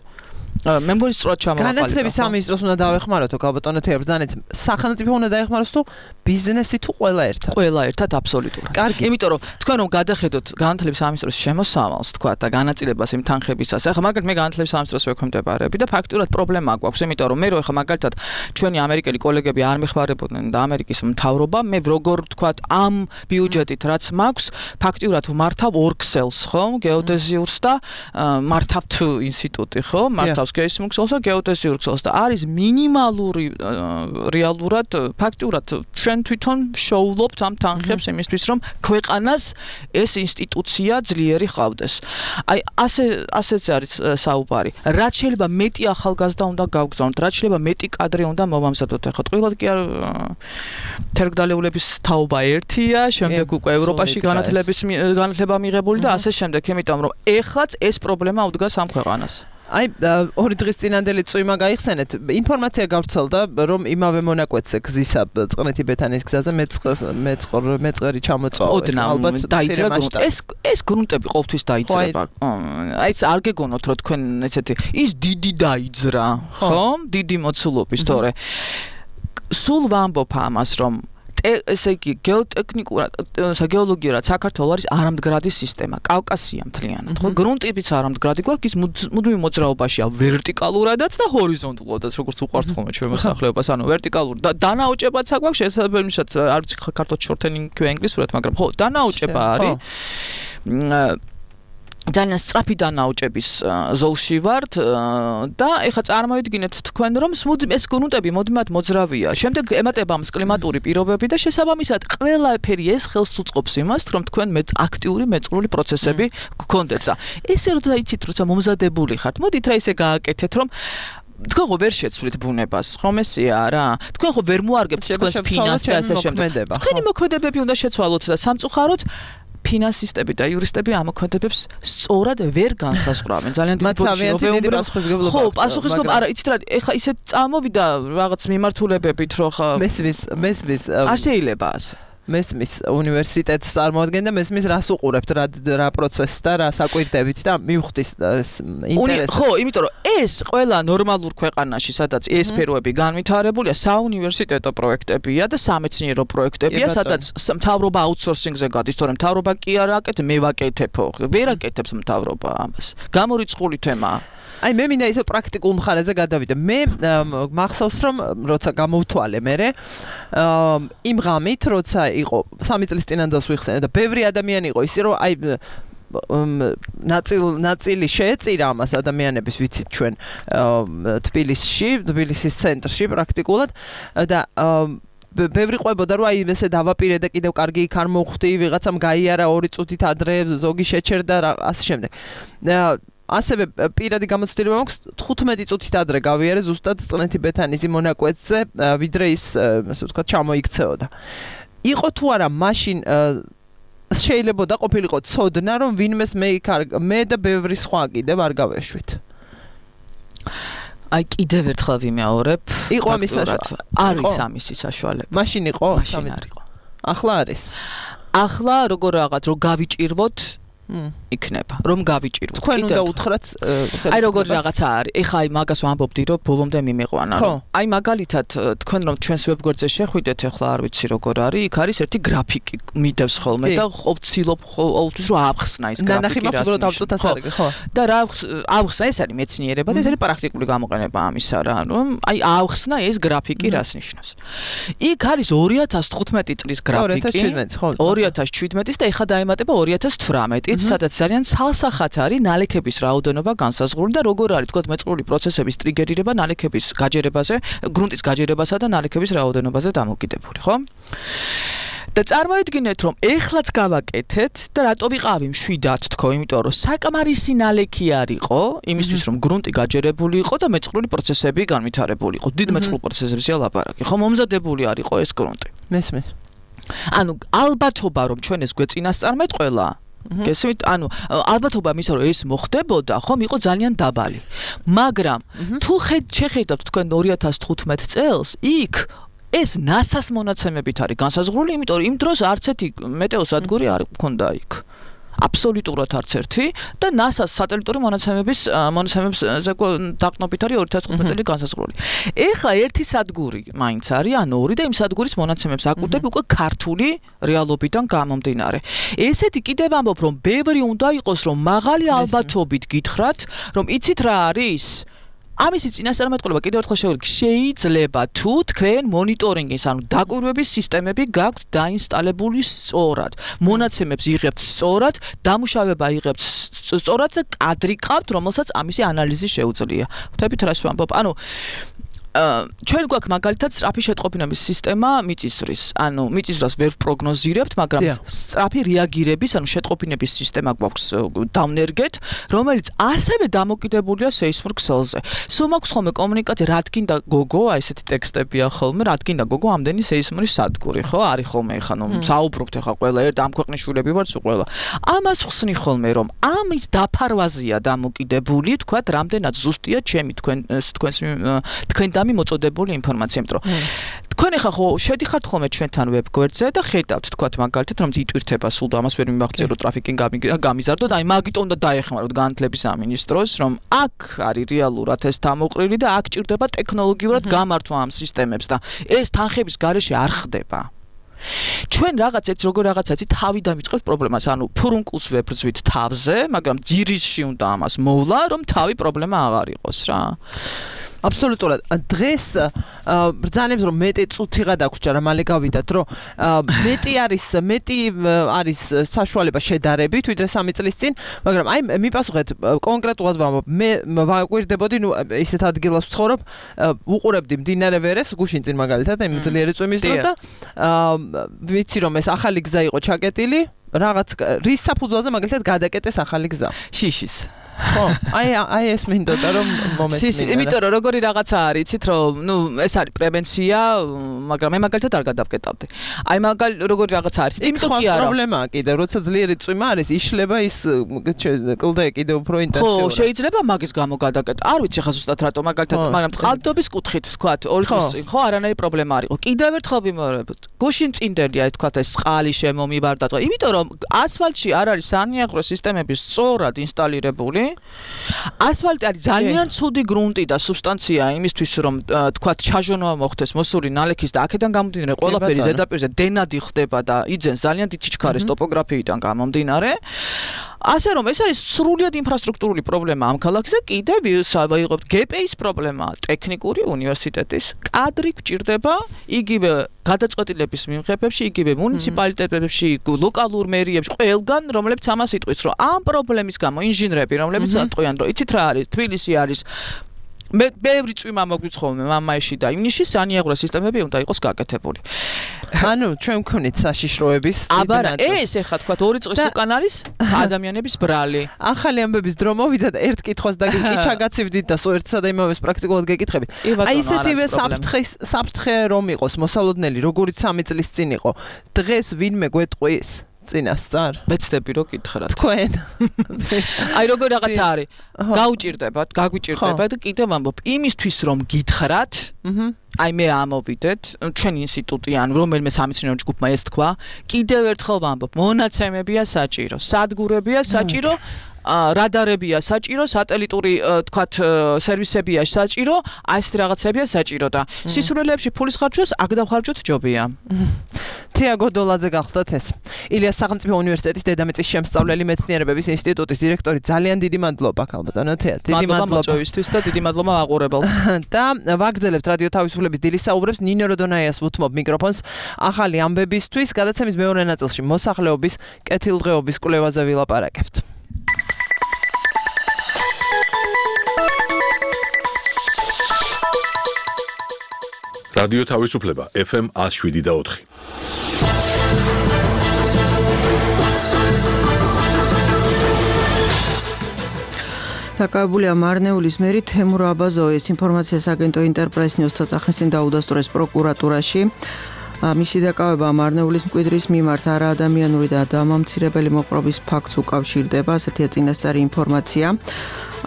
მე მგონი სწორად ჩამოვაყალიბე. განათლების სამინისტროს უნდა დავეხმაროთო, გაბატონო თეორბრძანეთ, სახელმწიფო უნდა დაეხმაროს თუ ბიზნესი თუ ყველა ერთად? ყველა ერთად აბსოლუტურად. კარგი. იმიტომ რომ თქვენ რომ გადახედოთ განათლების სამინისტროს შემოსავალს, თქვა და განაწილებას იმ თანხებისას, ახლა მაგალითად მე განათლების სამინისტროს ვექვემდებარები და ფაქტურად პრობლემა გვაქვს, იმიტომ რომ მე რო ახლა მაგალითად ჩვენი ამერიკელი კოლეგები არ მეხმარებოდნენ და ამერიკის მთავრობა, მე როგორ თქვა ამ ბიუჯეტით რაც მაქვს, ფაქტურად ვმართავ ორ ქსელს, ხო? გეოდეზიურს და მართავ თუ ინსტიტუტი, ხო? მართავს გეისმუქსელს და გეოდეზიურ ქსელს და არის მინიმალური რეალურად ფაქტურად ჩვენ თვითონ შოულობთ ამ თანხებს იმისთვის, რომ ქვეყანას ეს ინსტიტუცია ძლიერი ხავდეს. აი ასე ასეც არის საუბარი. რაც შეიძლება მეტი ახალგაზრდა უნდა გავგზავნოთ, რაც შეიძლება მეტი კადრი უნდა მოვამზადოთ. ახლა ტყუილად კი არ თერგდალეულების თაობა ერთია, შემდეგ უკვე ევროპაში განათლების განათლება მიღებული და ასე შემდეგ, იმიტომ რომ ეხლაც ეს პრობლემა უდგას ამ ქვეყანას. აი ორი დღის წინანდელი წვიმა გაიხსენეთ. ინფორმაცია გავრცელდა, რომ იმავე მონაკვეთზე გზისა წყნეთი ბეთანის გზაზე მეწყრ მეწყერი ჩამოწვა. ალბათ დაიძრა ეს ეს გრუნტები ყოველთვის დაიძრება. აი ეს არ გეგონოთ, რომ თქვენ ესეთი ის დიდი დაიძრა, ხო? დიდი მოცულობის თორე. სულ ვამბობ ამას, რომ ესე იგი გეოტექნიკურად, გეოლოგიურად საქართველოს არის არამდგრადი სისტემა, კავკასია მთლიანად, ხო? გრუნტებიც არამდგრადი გვაქვს, ის მუდმივ მოძრაობაშია ვერტიკალურადაც და ჰორიზონტალურადაც, როგორც უყვართ ხოლმე ჩვენ მოსახლეობას, ანუ ვერტიკალურ და დანაოჭებაც აქვს, შესაბამისად, არ ვიცი საქართველოს შორთენინგი თუ ინგლისურად, მაგრამ ხო, დანაოჭება არის. ძალიან სწრაფი დანაოჭების ზოლში ვართ და ეხლა წარმოვიდგინეთ თქვენ რომ ეს გრუნტები მუდმივად მოძრავია. შემდეგ ემატება ამს კლიმატური პირობები და შესაბამისად ყველაფერი ეს ხელს უწყობს იმას, რომ თქვენ მე აქტიური მეწყრული პროცესები გქონდეთ და ესე რომ იცით როცა მომზადებული ხართ, მოდით რა ისე გააკეთეთ, რომ თქვენ ხო ვერ შეცვლით ბუნებას, ხომ ესეა რა? თქვენ ხო ვერ მოარგებთ თქვენს ფინანსს და ასე შემდეგ. თქვენი მოქმედებები უნდა შეცვალოთ და სამწუხაროდ ფინანსისტები და იურისტები ამ მოქმედებებს სწორად ვერ განსაზღვრავენ. ძალიან დიდი პასუხისმგებლობა. ხო, პასუხისმგებლობა, არა, იცით რა, ეხა ისეთ წამოვიდა რაღაც მიმართულებებით, რომ ხა მესმის, მესმის არ შეიძლება ასე. მესმის უნივერსიტეტს წარმოადგენ და მესმის რას უყურებთ რა რა პროცესს და რა საკვირდებით და მივხვდის ინტერესს. ხო, იმიტომ რომ ეს ყველა ნორმალურ ქვეყანაში, სადაც ეს სფეროები განვითარებულია, საუნივერსიტეტო პროექტებია და სამეცნიერო პროექტებია, სადაც მთავრობა აუთსორსინგზე გადის, თორემ მთავრობა კი არ აკეთებს, მე ვაკეთებო. ვერ აკეთებს მთავრობა ამას. გამორიცხული თემაა. აი მე მინდა ისე პრაქტიკულ მხარეზე გადავიდე. მე მახსოვს რომ როცა გამოვთვალე მე იმ ღამით როცა იყო სამი წლის წინანდელს ვიხსენე და ბევრი ადამიანი იყო ისე რომ აი ნაწილ ნაწილი შეეწირა ამას ადამიანების ვიცით ჩვენ თბილისში, თბილისის ცენტრში პრაქტიკულად და ბევრი ყვებოდა რომ აი ესე დავაპირე და კიდევ კარგი იქ არ მოვხვდი, ვიღაცამ გაიარა ორი წუთით ადრე, ზოგი შეჩერდა რა ასე შემდეგ. ასევე პირადი გამოცდილება მაქვს თხუთმეტი წუთით ადრე გავიარე ზუსტად წნეთი ბეთანიზი მონაკვეთზე, ვიდრე ის ასე ვთქვათ ჩამოიქცეოდა. იყო თუ არა მაშინ შეიძლება და ყოფილიყო ცოდნა რომ ვინმეს მე იქ მე და ბევრი სხვა კიდევ არ გავეშვით. აი კიდევ ერთხელ ვიმეორებ, იყო ამის საშუალება. არის ამისი საშუალება. მაშინ იყო, მაშინ არ იყო. ახლა არის. ახლა როგორ რაღაც რომ გავიჭირვოთ იქნება რომ გავიჭიროთ. თქვენ უნდა უთხრათ აი როგორ რაღაცა არის. ეხა აი მაგას ვამბობდი რომ ბოლომდე მიმეყვანა რომ აი მაგალითად თქვენ რომ ჩვენს ვებგვერდზე შეხვიდეთ ახლა არ ვიცი როგორ არის. იქ არის ერთი გრაფიკი მიდევს ხოლმე და ვცდილობ ყოველთვის რომ ავხსნა ის გრაფიკი რას ნიშნავს. ხო. და რა ავხსნა ეს არის მეცნიერება და ეს არის პრაქტიკული გამოყენება ამისა რა. რომ აი ავხსნა ეს გრაფიკი რას ნიშნავს. იქ არის ორი ათას თხუთმეტი წლის გრაფიკი. ორი ათას შვიდმეტის და ეხა დაემატება ორი ათას თვრამეტი. სადაც ძალიან ცალსახად არის ნალექების რაოდენობა განსაზღვრული და როგორ არის თქო მეწყრული პროცესების ტრიგერირება ნალექების გაჯერებაზე, გრუნტის გაჯერებასა და ნალექების რაოდენობაზე დამოკიდებული, ხო? და წარმოიდგინეთ რომ ეხლაც გავაკეთეთ და რატო ვიყავი მშვიდად თქო, იმიტომ რომ საკმარისი ნალექი არ იყო იმისთვის რომ გრუნტი გაჯერებული იყო და მეწყრული პროცესები განვითარებული იყო. დიდ მეწყრულ პროცესებზეა ლაპარაკი, ხო, მომზადებული არ იყო ეს გრუნტი. მესმის. ანუ ალბათობა რომ ჩვენ ეს გვეწინასწარმეტყველა გესმით, ანუ ალბათობა მისა რომ ეს მოხდებოდა, ხომ იყო ძალიან დაბალი. მაგრამ თუ შეხედავთ თქვენ ორი ათას თხუთმეტ წელს, იქ ეს ნასას მონაცემებით არის განსაზღვრული, იმიტომ რომ იმ დროს არც ერთი მეტეოსადგური არ მქონდა იქ. აბსოლუტურად არც ერთი და ნასას სატელიტური მონაცემების მონაცემებს დაყნობით არის ორი ათას თხუთმეტ წელი განსაზღვრული. ეხლა ერთი სადგური მაინც არის, ანუ ორი და იმ სადგურის მონაცემებს აკვირდები უკვე ქართული რეალობიდან გამომდინარე. ესეთი კიდევ ამბობ რომ ბევრი უნდა იყოს რომ მაღალი ალბათობით გითხრათ, რომ იცით რა არის? ამისი წინასწარმეტყველება კიდევ ერთხელ შევიგე, შეიძლება თუ თქვენ მონიტორინგის, ანუ დაკვირვების სისტემები გაქვთ დაინსტალებული სწორად, მონაცემებს იღებთ სწორად, დამუშავება იღებთ სწორად და კადრი ყავთ, რომელსაც ამისი ანალიზი შეუძლია. ხვდებით რას ვამბობ? ანუ ჩვენ გვაქვს მაგალითად სწრაფი შეტყობინების სისტემა მიწისძვრის. ანუ მიწისძვრას ვერ პროგნოზირებთ, მაგრამ სწრაფი რეაგირების, ანუ შეტყობინების სისტემა გვაქვს დავნერგეთ, რომელიც ასევე დამოკიდებულია სეისმურ ქსელზე. სულ მაქვს ხოლმე კომუნიკაცია, რადგან და გოგო, აი ესეთი ტექსტებია ხოლმე, რადგან და გოგო ამდენი სეისმური სადგური, ხო? არის ხოლმე ეხა, ნუ საუბრობთ ეხა ყველა ერთ ამ ქვეყნის შვილები ვართ სულ ყველა. ამას ხსნი ხოლმე, რომ ამის დაფარვაზეა დამოკიდებული, თქვათ, რამდენად ზუსტია ჩემი თქვენ თქვენს თქვენ დამი მოწოდებული ინფორმაცია, იმიტომ რომ თქვენ ახლა ხო შედიხართ ხოლმე ჩვენთან ვებგვერდზე და ხედავთ თქვათ მაგალითად რომ იტვირთება სულ და ამას ვერ მიმაღწევ რომ ტრაფიკი გამიზარდოთ, აი მაგიტომ უნდა დაეხმაროთ განათლების სამინისტროს, რომ აქ არის რეალურად ეს დამოყრილი და აქ ჭირდება ტექნოლოგიურად გამართვა ამ სისტემებს და ეს თანხების გარეშე არ ხდება. ჩვენ რაღაც έτσι როგორ რაღაცა έτσι თავი დამიწყებთ პრობლემას, ანუ ფურუნკულს ვებრძვით თავზე, მაგრამ ძირისში უნდა ამას მოვლა, რომ თავი პრობლემა აღარ იყოს რა. აბსოლუტურად. დღეს ბრძანებს რომ მეტი წუთი გადაგვრჩა რა მალე გავიდათ, რომ მეტი არის მეტი არის საშუალება შედარებით, ვიდრე სამი წლის წინ, მაგრამ აი მიპასუხეთ კონკრეტულად ვამბობ, მე ვაკვირდებოდი, ნუ ისეთ ადგილას ვცხოვრობ, უყურებდი მდინარე ვერეს, გუშინ წინ მაგალითად, აი ძლიერი წვიმის დროს და ვიცი რომ ეს ახალი გზა იყო ჩაკეტილი, რაღაც რის საფუძველზე მაგალითად გადაკეტეს ახალი გზა. შიშის ხო, აი აი ეს მინდოდა რომ მომესმინა. იმიტომ რომ როგორი რაღაცა არის, იცით რომ ნუ ეს არის პრევენცია, მაგრამ მე მაგალითად არ გადავკეტავდი. აი მაგალ როგორი რაღაცა არის, იმიტომ კი არა. პრობლემაა კიდე, როცა ძლიერი წვიმა არის, იშლება ის კლდე კიდე უფრო ინტენსიურად. ხო, შეიძლება მაგის გამო გადაკეტა. არ ვიცი ხა ზუსტად რატო მაგალითად, მაგრამ წყალდობის კუთხით ვთქვათ, ორი დღის წინ ხო არანაირი პრობლემა არ იყო. კიდევ ერთხელ ვიმეორებთ. გუშინ წინდელია თქვათ ეს წყალი შემომიბარდა. იმიტომ რომ ასფალტში არ არის სანიაღრო სისტემები სწორად ინსტალირებული. ასფალტი არის ძალიან ცუდი გრუნტი და სუბსტანცია იმისთვის რომ თქვათ ჩაჟონვა მოხდეს მოსული ნალექის და აქედან გამომდინარე ყველაფერი ზედაპირზე დენადი ხდება და იძენს ძალიან დიდ სიჩქარეს ტოპოგრაფიიდან გამომდინარე. ასე რომ ეს არის სრულიად ინფრასტრუქტურული პრობლემა ამ ქალაქის და კიდევ ვიღებთ ჯი პი ის პრობლემაა ტექნიკური უნივერსიტეტის კადრი გვჭირდება იგივე გადაწყვეტილების მიმღებებში იგივე მუნიციპალიტეტებში ლოკალურ მერიებში ყველგან რომლებიც ამას იტყვის რომ ამ პრობლემის გამო ინჟინრები რომლებიც ატყვიან რომ იცით რა არის თბილისი არის მე ბევრი წვიმა მოგვიცხოვე მამაიში და იმნიში სანიაღრო სისტემები უნდა იყოს გაკეთებული. ანუ ჩვენ ვქონით საშიშროების აბარა ეს ეხა თქვა ორი წლის უკან არის ადამიანების ბრალი. ახალი ამბების დრო მოვიდა და ერთ კითხვას და კი ჩაგაცივდით და სულ ერთსა და იმავეს პრაქტიკულად გეკითხებით. აი ისეთივე საფრთხის საფრთხე რომ იყოს მოსალოდნელი როგორიც სამი წლის წინ იყო. დღეს ვინმე გვეტყვის წინასწარ მეცდები რომ გითხრათ თქვენ აი როგორ რაღაცა არის გაუჭირდებათ გაგვიჭირდებათ და კიდევ ვამბობ იმისთვის რომ გითხრათ აი მე ამოვიდეთ ჩვენ ინსტიტუტი ან რომელიმე სამეცნიერო ჯგუფმა ეს თქვა კიდევ ერთხელ ვამბობ მონაცემებია საჭირო სადგურებია საჭირო რადარებია საჭირო, სატელიტური თქვათ სერვისებია საჭირო, აი ეს რაღაცებია საჭირო და სისულელეებში ფულის ხარჯვას აქ დავხარჯოთ ჯობია. თიაგო დოლაძე გახლდათ ეს. ილიას სახელმწიფო უნივერსიტეტის დედამიწის შემსწავლელი მეცნიერებების ინსტიტუტის დირექტორი ძალიან დიდი მადლობა ქალბატონო თეა. დიდი მადლობა მოწვევისთვის და დიდი მადლობა მაყურებელს. და ვაგრძელებთ რადიო თავისუფლების დილის საუბრებს ნინო როდონაიას ვუთმობ მიკროფონს ახალი ამბებისთვის გადაცემის მეორე ნაწილში მოსახლეობის კეთილდღეობის კვლევაზე ვილაპარაკებთ. რადიო თავისუფლება ეფ ემ one oh seven და ოთხი. დაკავებულია მარნეულის მერი თემურ აბაზოვის ინფორმაციას აგენტო ინტერპრეს ნიუს ცოტახნის წინ დაუდასტურეს პროკურატურაში. მისი დაკავება მარნეულის მკვიდრის მიმართ არაადამიანური და დამამცირებელი მოპყრობის ფაქტს უკავშირდება, ასეთია წინასწარი ინფორმაცია.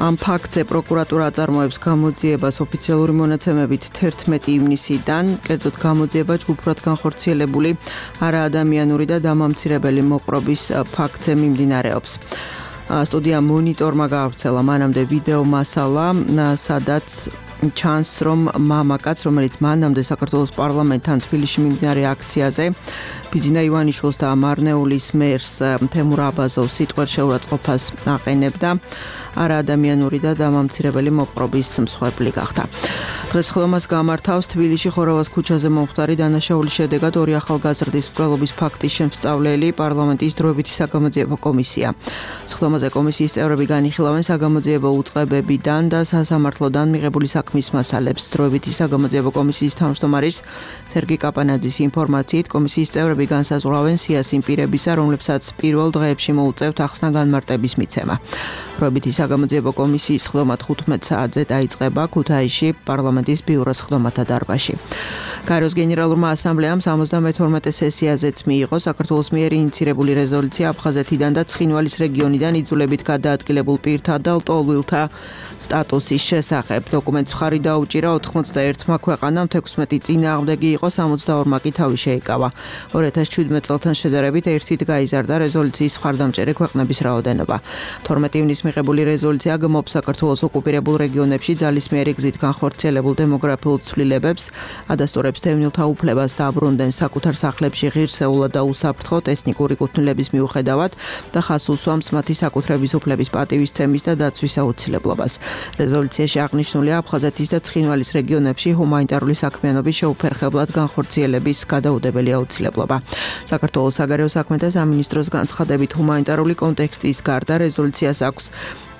ამ ფაქტზე პროკურატურა აწარმოებს გამოძიებას ოფიციალური მონაცემებით თერთმეტი ივნისიდან, კერძოდ გამოძიება ჯგუფურად განხორციელებული არაადამიანური და დამამცირებელი მოპყრობის ფაქტზე მიმდინარეობს. სტუდია მონიტორმა გაავრცელა მანამდე ვიდეო მასალა, სადაც ჩანს რომ მამაკაც, რომელიც მანამდე საქართველოს პარლამენტთან თბილისში მიმდინარე აქციაზე ბიძინა ივანიშვილს და მარნეულის მერს თემურ აბაზოვს სიტყვერშეურაცხყოფას აყენებდა, არაადამიანური და დამამცირებელი მოპყრობის მსხვერპლი გახდა. დღეს ხდომას გამართავს თბილისში ხორავას ქუჩაზე მომხდარი დანაშაულის შედეგად ორი ახალგაზრდის მკვლელობის ფაქტის შემსწავლელი პარლამენტის დროებითი საგამოძიებო კომისია. ხდომაზე კომისიის წევრები განიხილავენ საგამოძიებო უწყებებიდან და სასამართლოდან მიღებული საქმის მასალებს. დროებითი საგამოძიებო კომისიის თავმჯდომარის სერგი კაპანაძის ინფორმაციით კომისიის წევრები განსაზღვრავენ სიას იმ პირებისა, რომლებსაც პირველ დღეებში მოუწევთ ახსნა განმარტების მიცემა. დროებითი საგამოძიებო კომისიის ხდომა თხუთმეტ საათზე დაიწყება ქუთაისში პარლამენტის ბიუროს ხდომათა დარბაზში. გაეროს გენერალურმა ასამბლეამ სამოცდამეთორმეტე სესიაზეც მიიღო საქართველოს მიერ ინიცირებული რეზოლუცია აფხაზეთიდან და ცხინვალის რეგიონიდან იძულებით გადაადგილებულ პირთა და ლტოლვილთა სტატუსის შესახებ. დოკუმენტს მხარი დაუჭირა ოთხმოცდაერთმა ქვეყანამ, თექვსმეტი წინააღმდეგი იყო, სამოცდაორმა კი თავი შეიკავა. ორი ათას შვიდმეტ წელთან შედარებით ერთით გაიზარდა რეზოლუციის მხარდამჭერი ქვეყნების რაოდენობა. თორმეტი ივნისს მიღებული რეზოლუცია გმობს საქართველოს ოკუპირებულ რეგიონებში ძალისმიერი გზით განხორციელებულ დემოგრაფიულ ცვლილებებს, ადასტურებს დევნილთა უფლებას და აბრუნდნენ საკუთარ სახლებში ღირსეულად და უსაფრთხოდ ეთნიკური კუთვნილების მიუხედავად და ხაზს უსვამს მათი საკუთრების უფლების პატივისცემის და დაცვის აუცილებლობას. რეზოლუციაში აღნიშნულია აფხაზეთის და ცხინვალის რეგიონებში ჰუმანიტარული საქმიანობის შეუფერხებლად განხორციელების გადაუდებელი აუცილებლობა. საქართველოს საგარეო საქმეთა სამინისტროს განცხადებით ჰუმანიტარული კონტექსტის გარდა რეზოლუციას აქვს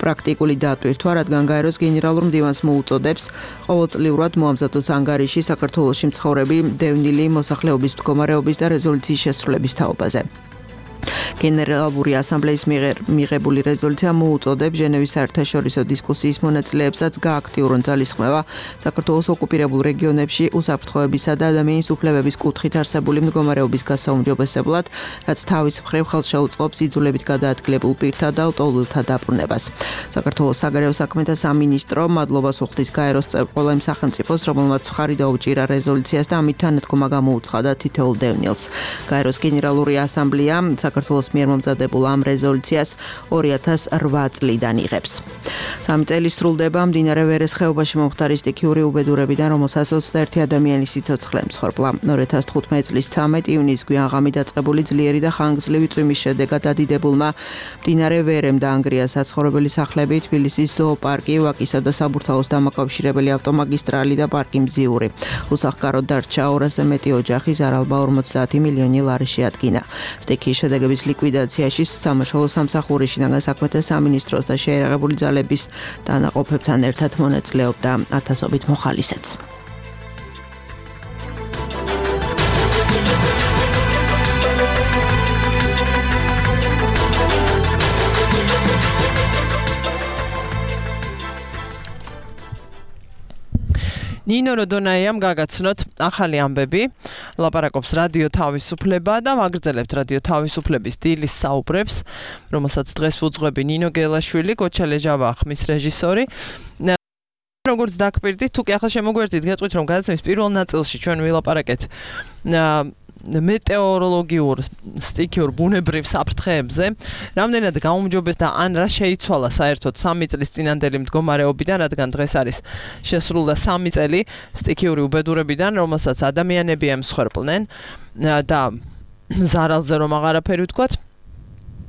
პრაქტიკული დატვირთვა, რადგან გაეროს გენერალურ მდივანს მოუწოდებს ყოველწლიურად მოამზადოს ანგარიში საქართველოში მცხოვრები დევნილი მოსახლეობის მდგომარეობის და რეზოლუციის შესრულების თაობაზე. გენერალური ასამბლეის მიღებული რეზოლუცია მოუწოდებს ჟენევის საერთაშორისო დისკუსიის მონაწილეებსაც გააქტიურონ ძალისხმევა საქართველოს ოკუპირებულ რეგიონებში უსაფრთხოებისა და ადამიანის უფლებების კუთხით არსებული მდგომარეობის გასაუმჯობესებლად, რაც თავის მხრივ ხელს შეუწყობს იძულებით გადაადგილებულ პირთა და ლტოლვილთა დაბრუნებას. საქართველოს საგარეო საქმეთა სამინისტრო მადლობას უხდის გაეროს წევრ ყველა იმ სახელმწიფოს, რომელმაც მხარი დაუჭირა რეზოლუციას და ამით თანადგომა გამოუცხადა თითოეულ დევნილს. გაეროს გენერალური ასამბლეა საქართველოს მიერ მომზადებულ ამ რეზოლუციას ორი ათას ოთხ წლიდან იღებს. სამი წელი სრულდება მდინარე ვერეს ხეობაში მომხდარი სტიქიური უბედურებიდან, რომელსაც ოცდაერთი ადამიანის სიცოცხლე მსხვერპლა. ორი ათას თხუთმეტი წლის ცამეტ ივნისს გვიანღამი დაწყებული ძლიერი და ხანგრძლივი წვიმის შედეგად დადიდებულმა მდინარე ვერემ დაანგრია საცხოვრებელი სახლები, თბილისის ზოოპარკი, ვაკისა და საბურთალოს დამაკავშირებელი ავტომაგისტრალი და პარკი მზიური. უსახკაროდ დარჩა ორასზე მეტი ოჯახი, ზარალმა ორმოცდაათი მილიონი ლარი შეადგინა. სტიქიის შედეგების ლიკვიდაციაში სამაშველო სამსახური შინაგან საქმეთა სამინისტროს და შეერაღებული ძალების დანაყოფებთან ერთად მონაწილეობდა ათასობით მოხალისეც. ნინო როდონაიამ გაგაცნოთ ახალი ამბები, ლაპარაკობს რადიო თავისუფლება და ვაგრძელებთ რადიო თავისუფლების დილის საუბრებს, რომელსაც დღეს უძღვები ნინო გელაშვილი, გოჩა ლეჟავა ხმის რეჟისორი. როგორც დაგპირდით, თუ კი ახლა შემოგვერთით, გეტყვით რომ გადაცემის პირველ ნაწილში ჩვენ ვილაპარაკეთ მეტეოროლოგიურ სტიქიურ ბუნებრივ საფრთხეებზე, რამდენად გაუმჯობეს და ან რა შეიცვალა საერთოდ სამი წლის წინანდელი მდგომარეობიდან, რადგან დღეს არის შესრულდა სამი წელი სტიქიური უბედურებიდან, რომელსაც ადამიანები ემსხვერპლნენ და ზარალზე რომ აღარაფერი ვთქვათ.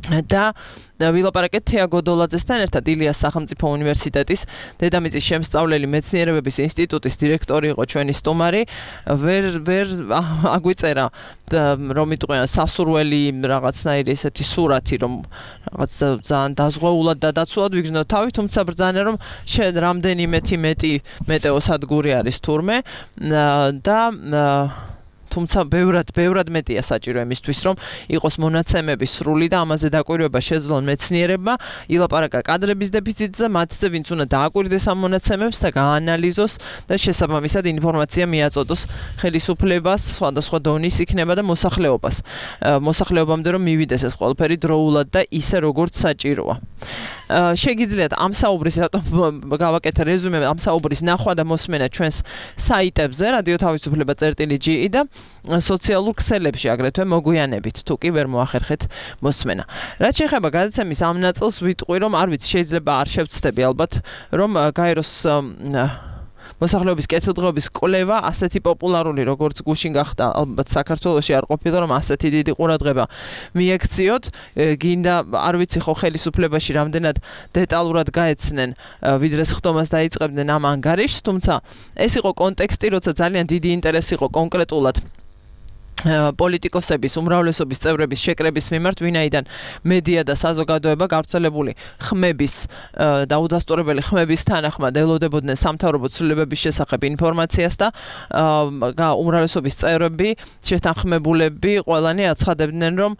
და ვილაპარაკეთ თეა გოდოლაძესთან ერთად, ილიას სახელმწიფო უნივერსიტეტის დედამიწის შემსწავლელი მეცნიერებების ინსტიტუტის დირექტორი იყო ჩვენი სტუმარი. ვერ ვერ აგვიწერა რომ იტყვიან სასურველი რაღაცნაირი ესეთი სურათი, რომ რაღაც ძალიან დაზღვეულად და დაცულად ვიგრძნოთ თავი, თუმცა ბრძანა რომ შენ რამდენიმე მეტი მეტეოსადგური არის თურმე და თუმცა ბევრად ბევრად მეტია საჭირო იმისთვის, რომ იყოს მონაცემები სრული და ამაზე დაკვირვება შეძლონ მეცნიერებმა, ილაპარაკა კადრების დეფიციტზე, მათზე ვინც უნდა დააკვირდეს ამ მონაცემებს და გაანალიზოს და შესაბამისად ინფორმაცია მიაწოდოს ხელისუფლებას, სხვადასხვა დონის იქნება და მოსახლეობას. მოსახლეობამდე რომ მივიდეს ეს ყველაფერი დროულად და ისე როგორც საჭიროა. შეგიძლიათ ამ საუბრის რატომ გავაკეთე რეზუმე, ამ საუბრის ნახვა და მოსმენა ჩვენს საიტებზე რადიო თავისუფლება წერტილი ჯი და სოციალურ ქსელებში აგრეთვე მოგვიანებით, თუ კი ვერ მოახერხეთ მოსმენა. რაც შეეხება გადაცემის ამ ნაწილს, ვიტყვი რომ არ ვიცი, შეიძლება არ შევცდები ალბათ, რომ გაეროს მოსახლეობის კეთილდღეობის კვლევა ასეთი პოპულარული, როგორც გუშინ გახდა, ალბათ საქართველოში არ ყოფილა, რომ ასეთი დიდი ყურადღება მიექციოთ. გინდა, არ ვიცი ხო ხელისუფლებაში რამდენად დეტალურად გაეცნენ, ვიდრე სხდომას დაიწყებდნენ ამ ანგარიშს, თუმცა ეს იყო კონტექსტი, როცა ძალიან დიდი ინტერესი იყო კონკრეტულად პოლიტიკოსების უმრავლესობის წევრების შეკრების მიმართ, ვინაიდან მედია და საზოგადოება გავრცელებული ხმების და უდასტურებელი ხმების თანახმად ელოდებოდნენ სამთავრობო ცვლილებების შესახებ ინფორმაციას და უმრავლესობის წევრები, შეთანხმებულები ყველანი აცხადებდნენ, რომ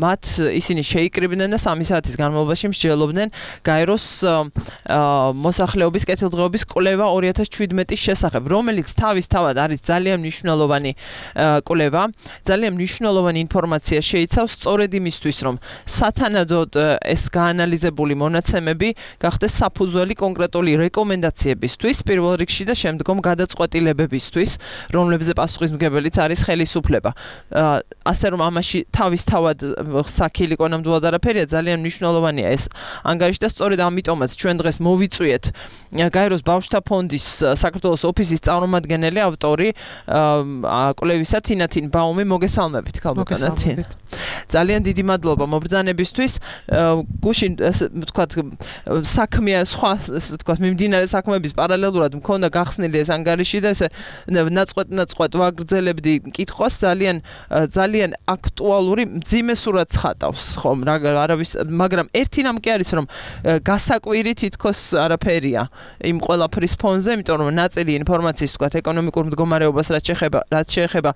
მათ ისინი შეიკრიბნენ და სამი საათის განმავლობაში მსჯელობდნენ გაეროს მოსახლეობის კეთილდღეობის კვლევა ორი ათას შვიდმეტის შესახებ, რომელიც თავისთავად არის ძალიან მნიშვნელოვანი კვლევა. ძალიან მნიშვნელოვანი ინფორმაცია შეიცავს სწორედ იმისთვის, რომ სათანადოდ ეს გაანალიზებული მონაცემები გახდეს საფუძველი კონკრეტული რეკომენდაციებისთვის, პირველ რიგში და შემდგომ გადაწყვეტილებებისთვის, რომლებზე პასუხისმგებელიც არის ხელისუფლება. ასე რომ ამაში თავისთავად საქილიკო ნამდვილად არაფერია, ძალიან მნიშვნელოვანია ეს ანგარიში და სწორედ ამიტომაც ჩვენ დღეს მოვიწვიეთ გაეროს ბავშვთა ფონდის საქართველოს ოფისის წარმომადგენელი, ავტორი კვლევისა თინათინ ბაუმი, მოგესალმებით, ქალბატონო. ძალიან დიდი მადლობა მობრძანებისთვის. გუშინ ვთქვათ, საქმეა სხვა, ვთქვათ, მიმდინარე საქმეების პარალელურად მქონდა გახსნილი ეს ანგარიში და ესე ნაწყვეტ-ნაწყვეტ ვაგრძელებდი კითხვას, ძალიან ძალიან აქტუალური მძიმე სურათს ხატავს, ხომ, არავის, მაგრამ ერთი რამ კი არის, რომ გასაკვირი თითქოს არაფერია იმ ყველაფრის ფონზე, იმიტომ რომ ნაწილი ინფორმაციის, ვთქვათ, ეკონომიკურ მდგომარეობას რაც შეეხება, რაც შეეხება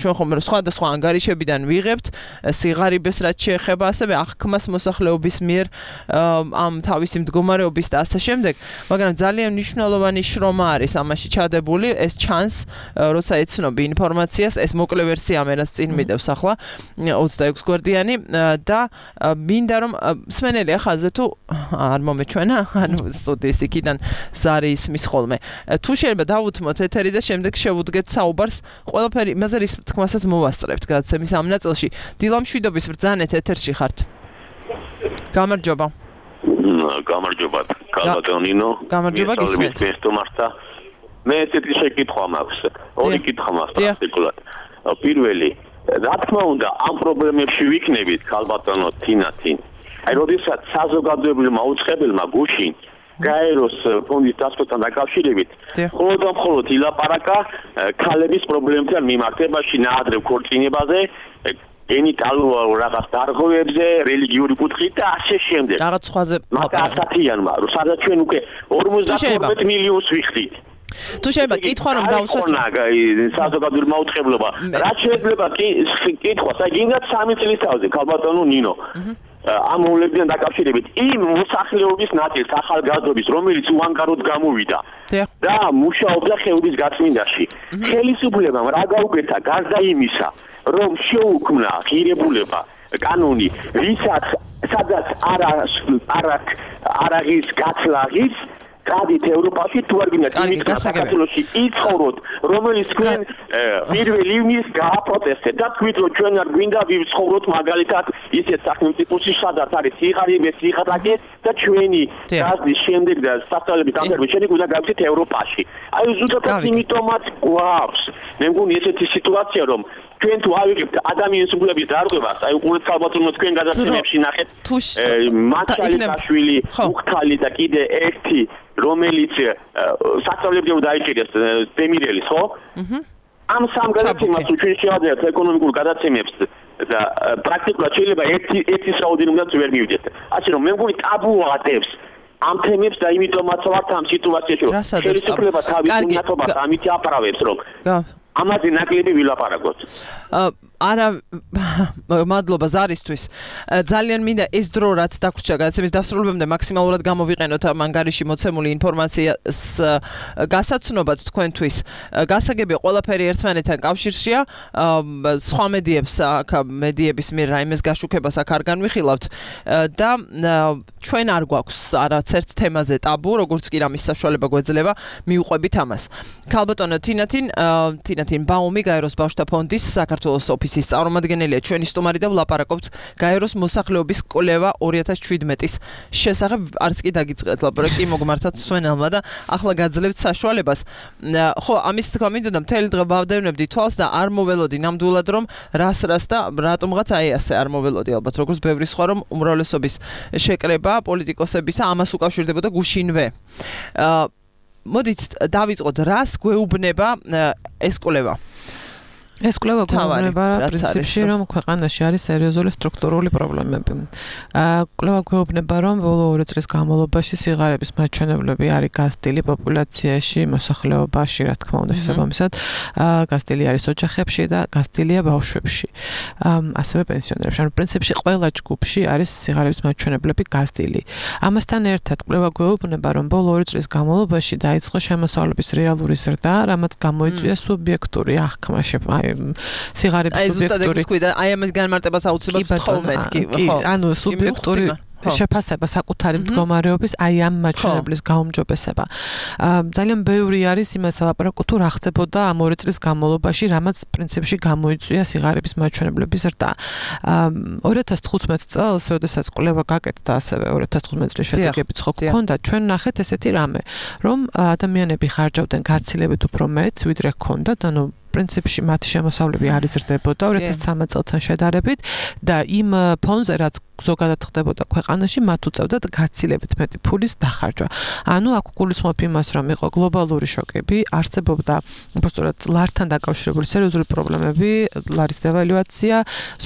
ჩვენ ხომ სხვადასხვა ანგარიშებიდან ვიღებთ სიღარიბეს რაც შეეხება ასევე აღქმას მოსახლეობის მიერ ამ თავისი მდგომარეობის და ასე შემდეგ, მაგრამ ძალიან მნიშვნელოვანი შრომა არის ამაში ჩადებული, ეს ჩანს, როცა ეცნობი ინფორმაციას, ეს მოკლე ვერსია ამერაც წინ მიდევს ახლა ოცდაექვსი გვერდიანი და მინდა რომ სმენელი ახალზე თუ არ მომეჩვენა, ანუ სტუდიის იქიდან ზარი ისმის ხოლმე. თუ შეიძლება დავუთმოთ ეთერი და შემდეგ შევუდგეთ საუბარს, ყველაფერი იმაზე რის თქმასაც მოვასწრებთ გადაცემის ამ ნაწილში. დილა მშვიდობის ბრძანეთ ეთერში ხართ. გამარჯობა. გამარჯობა, კალბატონინო. გამარჯობა გისმენთ. მე ესეთი შეკითხვა მაქვს. ორი კითხვა მაქვს პრაქტიკულად. პირველი, რა თქმა უნდა, ამ პრობლემებში ვიქნებით კალბატონო თინათინ. აი, როდესაც საზოგადოებრივ მაუწყებელმა გუშინ გაეროს ფონდის დასწრებასთან დაკავშირებით, მხოლოდ და მხოლოდ ილაპარაკა ქალების პრობლემებთან მიმართებაში, ნაადრევ ქორწინებაზე, გენიტალურ რაღაც დარღვევებზე, რელიგიური კუთხით და ასე შემდეგ. რაღაც სხვაზე მაგრამ ასათიანმა, რომ სადაც ჩვენ უკვე ორმოცდათორმეტ მილიონს ვიხდით. თუ შეიძლება კითხვა რომ დავუსვათ საზოგადოებრივ მაუწყებლობა, რაც შეიძლება კითხვას, აი გინდათ სამი წლის თავზე კალბატონო ნინო. ამ მოვლენებთან დაკავშირებით იმ მოსახლეობის ნაწილს ახალგაზრდობის, რომელიც უანგაროდ გამოვიდა და მუშაობდა ხეობის გაწმინდაში. ხელისუფლებამ რა გაუკეთა გარდა იმისა, რომ შეუქმნა ღირებულება, კანონი, ვისაც სადაც არა არა არაღის გაცლაღის გადით ევროპაში თუ არ გინდათ იმით საქართველოში იცხოვროთ, რომელიც თქვენ პირველ ივნისს გააპროტესტეთ და თქვით რომ ჩვენ არ გვინდა ვიცხოვროთ მაგალითად ისეთ სახელმწიფოში, სადაც არის სიღარიბე, სიღრმავე და ჩვენი გაზის შემდეგ და სასწავლების დამთავრების შემდეგ უნდა გავიქცეთ ევროპაში. აი ზუსტად იმიტომაც გვაქვს. მე მგონი ესეთი სიტუაცია რომ ჩვენ თუ ავიღებთ ადამიანის უფლების დარღვევას, აი უყურეთ კალბატონო თქვენ გადაცემებში ნახეთ მატჩალიკაშვილი, უხთალი და კიდე ერთი რომელიც სასწავლებლად დაიჭირეს დემირელის, ხო? ამ სამ გადაცემას ჩვენ შევადარებთ ეკონომიკურ გადაცემებს და პრაქტიკულად შეიძლება ერთი ერთის რაოდენობაც ვერ მივიდეთ. ასე რომ მე მგონი ტაბუ ატევს ამ თემებს და იმიტომაც ვართ ამ სიტუაციაში რომ ხელისუფლება თავის უნათობას ამით აპარავებს რომ ამაზე ნაკლები ვილაპარაკოთ. არა მადლობა ზარისთვის. ძალიან მინდა ეს დრო რაც დაგვრჩა გადაცემის დასრულებამდე მაქსიმალურად გამოვიყენოთ ამ ანგარიში მოცემული ინფორმაციას გასაცნობად თქვენთვის. გასაგებია ყველაფერი ერთმანეთთან კავშირშია. სხვა მედიებს აქ მედიების მიერ რაიმეს გაშუქებას აქ არ განვიხილავთ და ჩვენ არ გვაქვს არაცერთ თემაზე ტაბუ, როგორც კი რამის საშუალება გვეძლება მივუყვებით ამას. კალბატონო თინათინ თინათინ ბაუმი გაეროს ბავშვთა ფონდის საქართველოს ოფისის წარმომადგენელია ჩვენი სტუმარი და ვლაპარაკობთ გაეროს მოსახლეობის კვლევა ორი ათას შვიდმეტის შესახებ. არც კი დაგიწყეთ ლაპარაკი მოგმართათ სვენელმა და ახლა გაძლევთ საშუალებას. ხო, ამის თქვა მინდოდა მთელი დღე ვავდევნებდი თვალს და არ მოველოდი ნამდვილად რომ რას რას და რატომღაც აი ასე არ მოველოდი ალბათ როგორც ბევრი სხვა რომ უმრავლესობის შეკრება პოლიტიკოსებისა ამას უკავშირდებოდა გუშინვე. მოდით დავიწყოთ რას გვეუბნება ეს კვლევა. ეს კვლევა გვეუბნება პრინციპში რომ ქვეყანაში არის სერიოზული სტრუქტურული პრობლემები. კვლევა გვეუბნება რომ ბოლო ორი წლის განმავლობაში სიღარიბის მაჩვენებლები არის გაზრდილი პოპულაციაში, მოსახლეობაში, რა თქმა უნდა, შესაბამისად, გაზრდილი არის ოჯახებში და გაზრდილია ბავშვებში. ასევე პენსიონერებში. ანუ პრინციპში ყველა ჯგუფში არის სიღარიბის მაჩვენებლები გაზრდილი. ამასთან ერთად კვლევა გვეუბნება რომ ბოლო ორი წლის განმავლობაში დაიწყო შემოსავლების რეალური ზრდა, რამაც გამოიწვია სუბიექტური აღქმა სიღარიბის სუბიექტური აი ამას განმარტებას აუცილებლად ვთხოვმეთ კი ხო ანუ სუბიექტური შეფასება საკუთარი მდგომარეობის აი ამ მაჩვენებლის გაუმჯობესება. ძალიან ბევრი არის იმას ლაპარაკო თუ რა ხდებოდა ამ ორი წლის განმავლობაში, რამაც პრინციპში გამოიწვია სიღარიბის მაჩვენებლების ზრდა. ორი ათას თხუთმეტ წელს, როდესაც კვლევა გაკეთდა ასევე ორი ათას თხუთმეტ წლის შედეგებიც ხო გქონდა, ჩვენ ნახეთ ესეთი რამე, რომ ადამიანები ხარჯავდნენ გაცილებით უფრო მეტს, ვიდრე ჰქონდათ, ანუ პრინციპში მათი შემოსავლები არ იზრდებოდა ორი ათას ცხრამეტ წელთან შედარებით და იმ ფონზე რაც ზოგადად ხდებოდა ქვეყანაში მათ უწევდათ გაცილებით მეტი ფულის დახარჯვა. ანუ აქ გულისხმობ იმას რომ იყო გლობალური შოკები, არსებობდა უბრალოდ ლართან დაკავშირებული სერიოზული პრობლემები, ლარის დევალუაცია,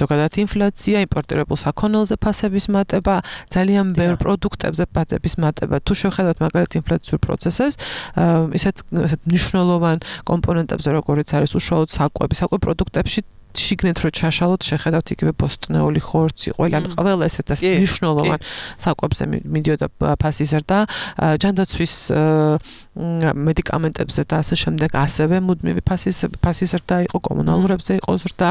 ზოგადად ინფლაცია, იმპორტირებულ საქონელზე ფასების მატება, ძალიან ბევრ პროდუქტებზე ფასების მატება. თუ შევხედავთ მაგალითად ინფლაციურ პროცესებს, ისეთ ისეთ მნიშვნელოვან კომპონენტებზე როგორიც არის უშუალოდ საკვები, საკვები პროდუქტებში შიგნით რო ჩაშალოთ შეხედავთ იგივე ბოსტნეული ხორცი ყველა ანუ ყველა ესეთ მნიშვნელოვან საკვებზე მიდიოდა ფასი ზრდა ჯანდაცვის მედიკამენტებზე და ასე შემდეგ ასევე მუდმივი ფასის ფასი ზრდა იყო კომუნალურებზე იყო ზრდა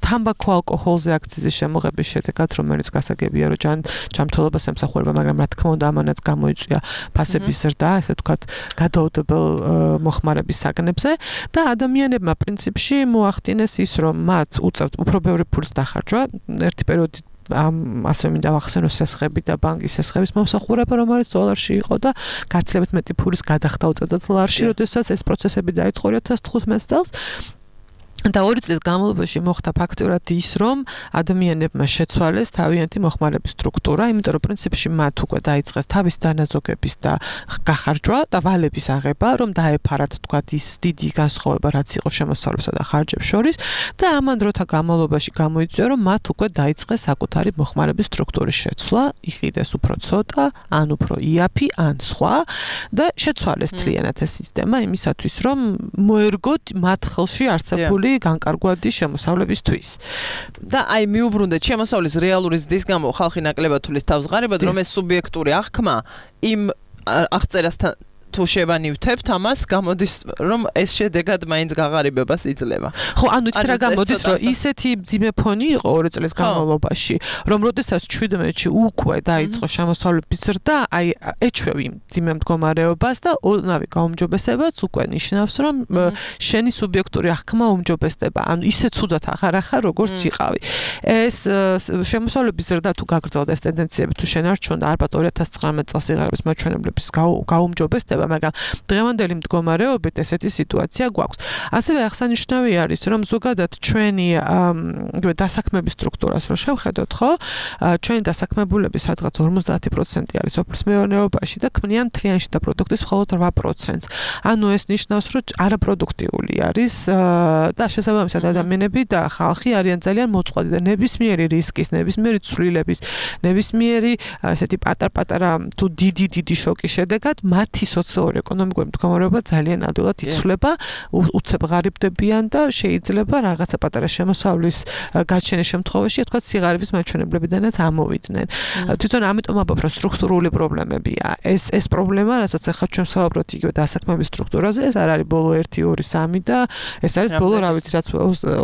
თამბაქო ალკოჰოლზე აქციზის შემოღების შედეგად რომელიც გასაგებია რომ ჯან ჯანმრთელობას ემსახურება მაგრამ რა თქმა უნდა ამანაც გამოიწვია ფასების ზრდა ასე ვთქვათ გადაუდებელ მოხმარების საგნებზე და ადამიანებმა პრინციპში მოახდინეს ის რომ მათ უწევთ უფრო ბევრი ფულის დახარჯვა ერთი პერიოდი ამ ასე მინდა ვახსენო სესხები და ბანკის სესხების მომსახურება რომელიც დოლარში იყო და გაცილებით მეტი ფულის გადახდა უწევდათ ლარში როდესაც ეს პროცესები დაიწყო ორი ათას თხუთმეტ წელს და ორი წლის განმავლობაში მოხდა ფაქტურად ის, რომ ადამიანებმა შეცვალეს თავიანთი მოხმარების სტრუქტურა, იმიტომ რომ პრინციპში მათ უკვე დაიწყეს თავის დანაზოგების და გახარჯვა და ვალების აღება, რომ დაეფარათ თქვათ ის დიდი განსხვავება, რაც იყო შემოსავლებსა და ხარჯებს შორის და ამან დროთა განმავლობაში გამოიწვია, რომ მათ უკვე დაიწყეს საკუთარი მოხმარების სტრუქტურის შეცვლა, იყიდეს უფრო ცოტა, ან უფრო იაფი, ან სხვა და შეცვალეს თლიანად ეს სისტემა იმისათვის, რომ მოერგოთ მათ ხელში არსებული განკარგვადი შემოსავლებისთვის. და აი მიუბრუნდეთ შემოსავლის რეალური ზრდის გამო ხალხი ნაკლებად თulis თავს ღარიბად რომ ეს სუბიექტური აღქმა იმ აღწერასთან თუ შევანივთებთ ამას გამოდის რომ ეს შედეგად მაინც გაღარიბებას იძლევა. ხო, ანუ ის რა გამოდის რომ ისეთი ძიმე ფონი იყო ორი წლის განმავლობაში, რომ როდესაც ჩვიდმეტში უკვე დაიწყო შემოსავლების ზრდა, აი ეჩვევ იმ ძიმე მდგომარეობას და ოდნავი გაუმჯობესებაც უკვე ნიშნავს რომ შენი სუბიექტური აღქმა უმჯობესდება. ანუ ისე ცუდად აღარ ახარ როგორც იყავი. ეს შემოსავლების ზრდა თუ გაგრძელდა ეს ტენდენციები თუ შენარჩუნდა ალბათ ორი ათას ცხრამეტ წელს სიღარიბის მაჩვენებლების გაუმჯობესდება მაგრამ დღევანდელი მდგომარეობით ესეთი სიტუაცია გვაქვს. ასევე აღსანიშნავი არის, რომ ზოგადად ჩვენი იგივე დასაქმების სტრუქტურას რო შევხედოთ, ხო? ჩვენი დასაქმებულები სადღაც ორმოცდაათი პროცენტი არის სოფლის მეურნეობაში და ქმნიან მთლიანი შიდა პროდუქტის მხოლოდ რვა პროცენტს. ანუ ეს ნიშნავს, რომ არაპროდუქტიული არის და შესაბამისად ადამიანები და ხალხი არიან ძალიან მოწყვლადი და ნებისმიერი რისკის, ნებისმიერი ცვლილების, ნებისმიერი ესეთი პატარ-პატარა თუ დიდი დიდი შოკის შედეგად მათი სოციო-ეკონომიკური მდგომარეობა ძალიან ადვილად იცვლება, უცებ ღარიბდებიან და შეიძლება რაღაცა პატარა შემოსავლის გაჩენის შემთხვევაში, თქვათ, სიღარიბის მაჩვენებლებიდანაც ამოვიდნენ. თვითონ ამიტომ ამბობ, რომ სტრუქტურული პრობლემებია. ეს ეს პრობლემა, რასაც ახლა ჩვენ ვსაუბრობთ იგივე დასაქმების სტრუქტურაზე, ეს არ არის ბოლო ერთი, ორი, სამი და ეს არის ბოლო, რა ვიცი, რაც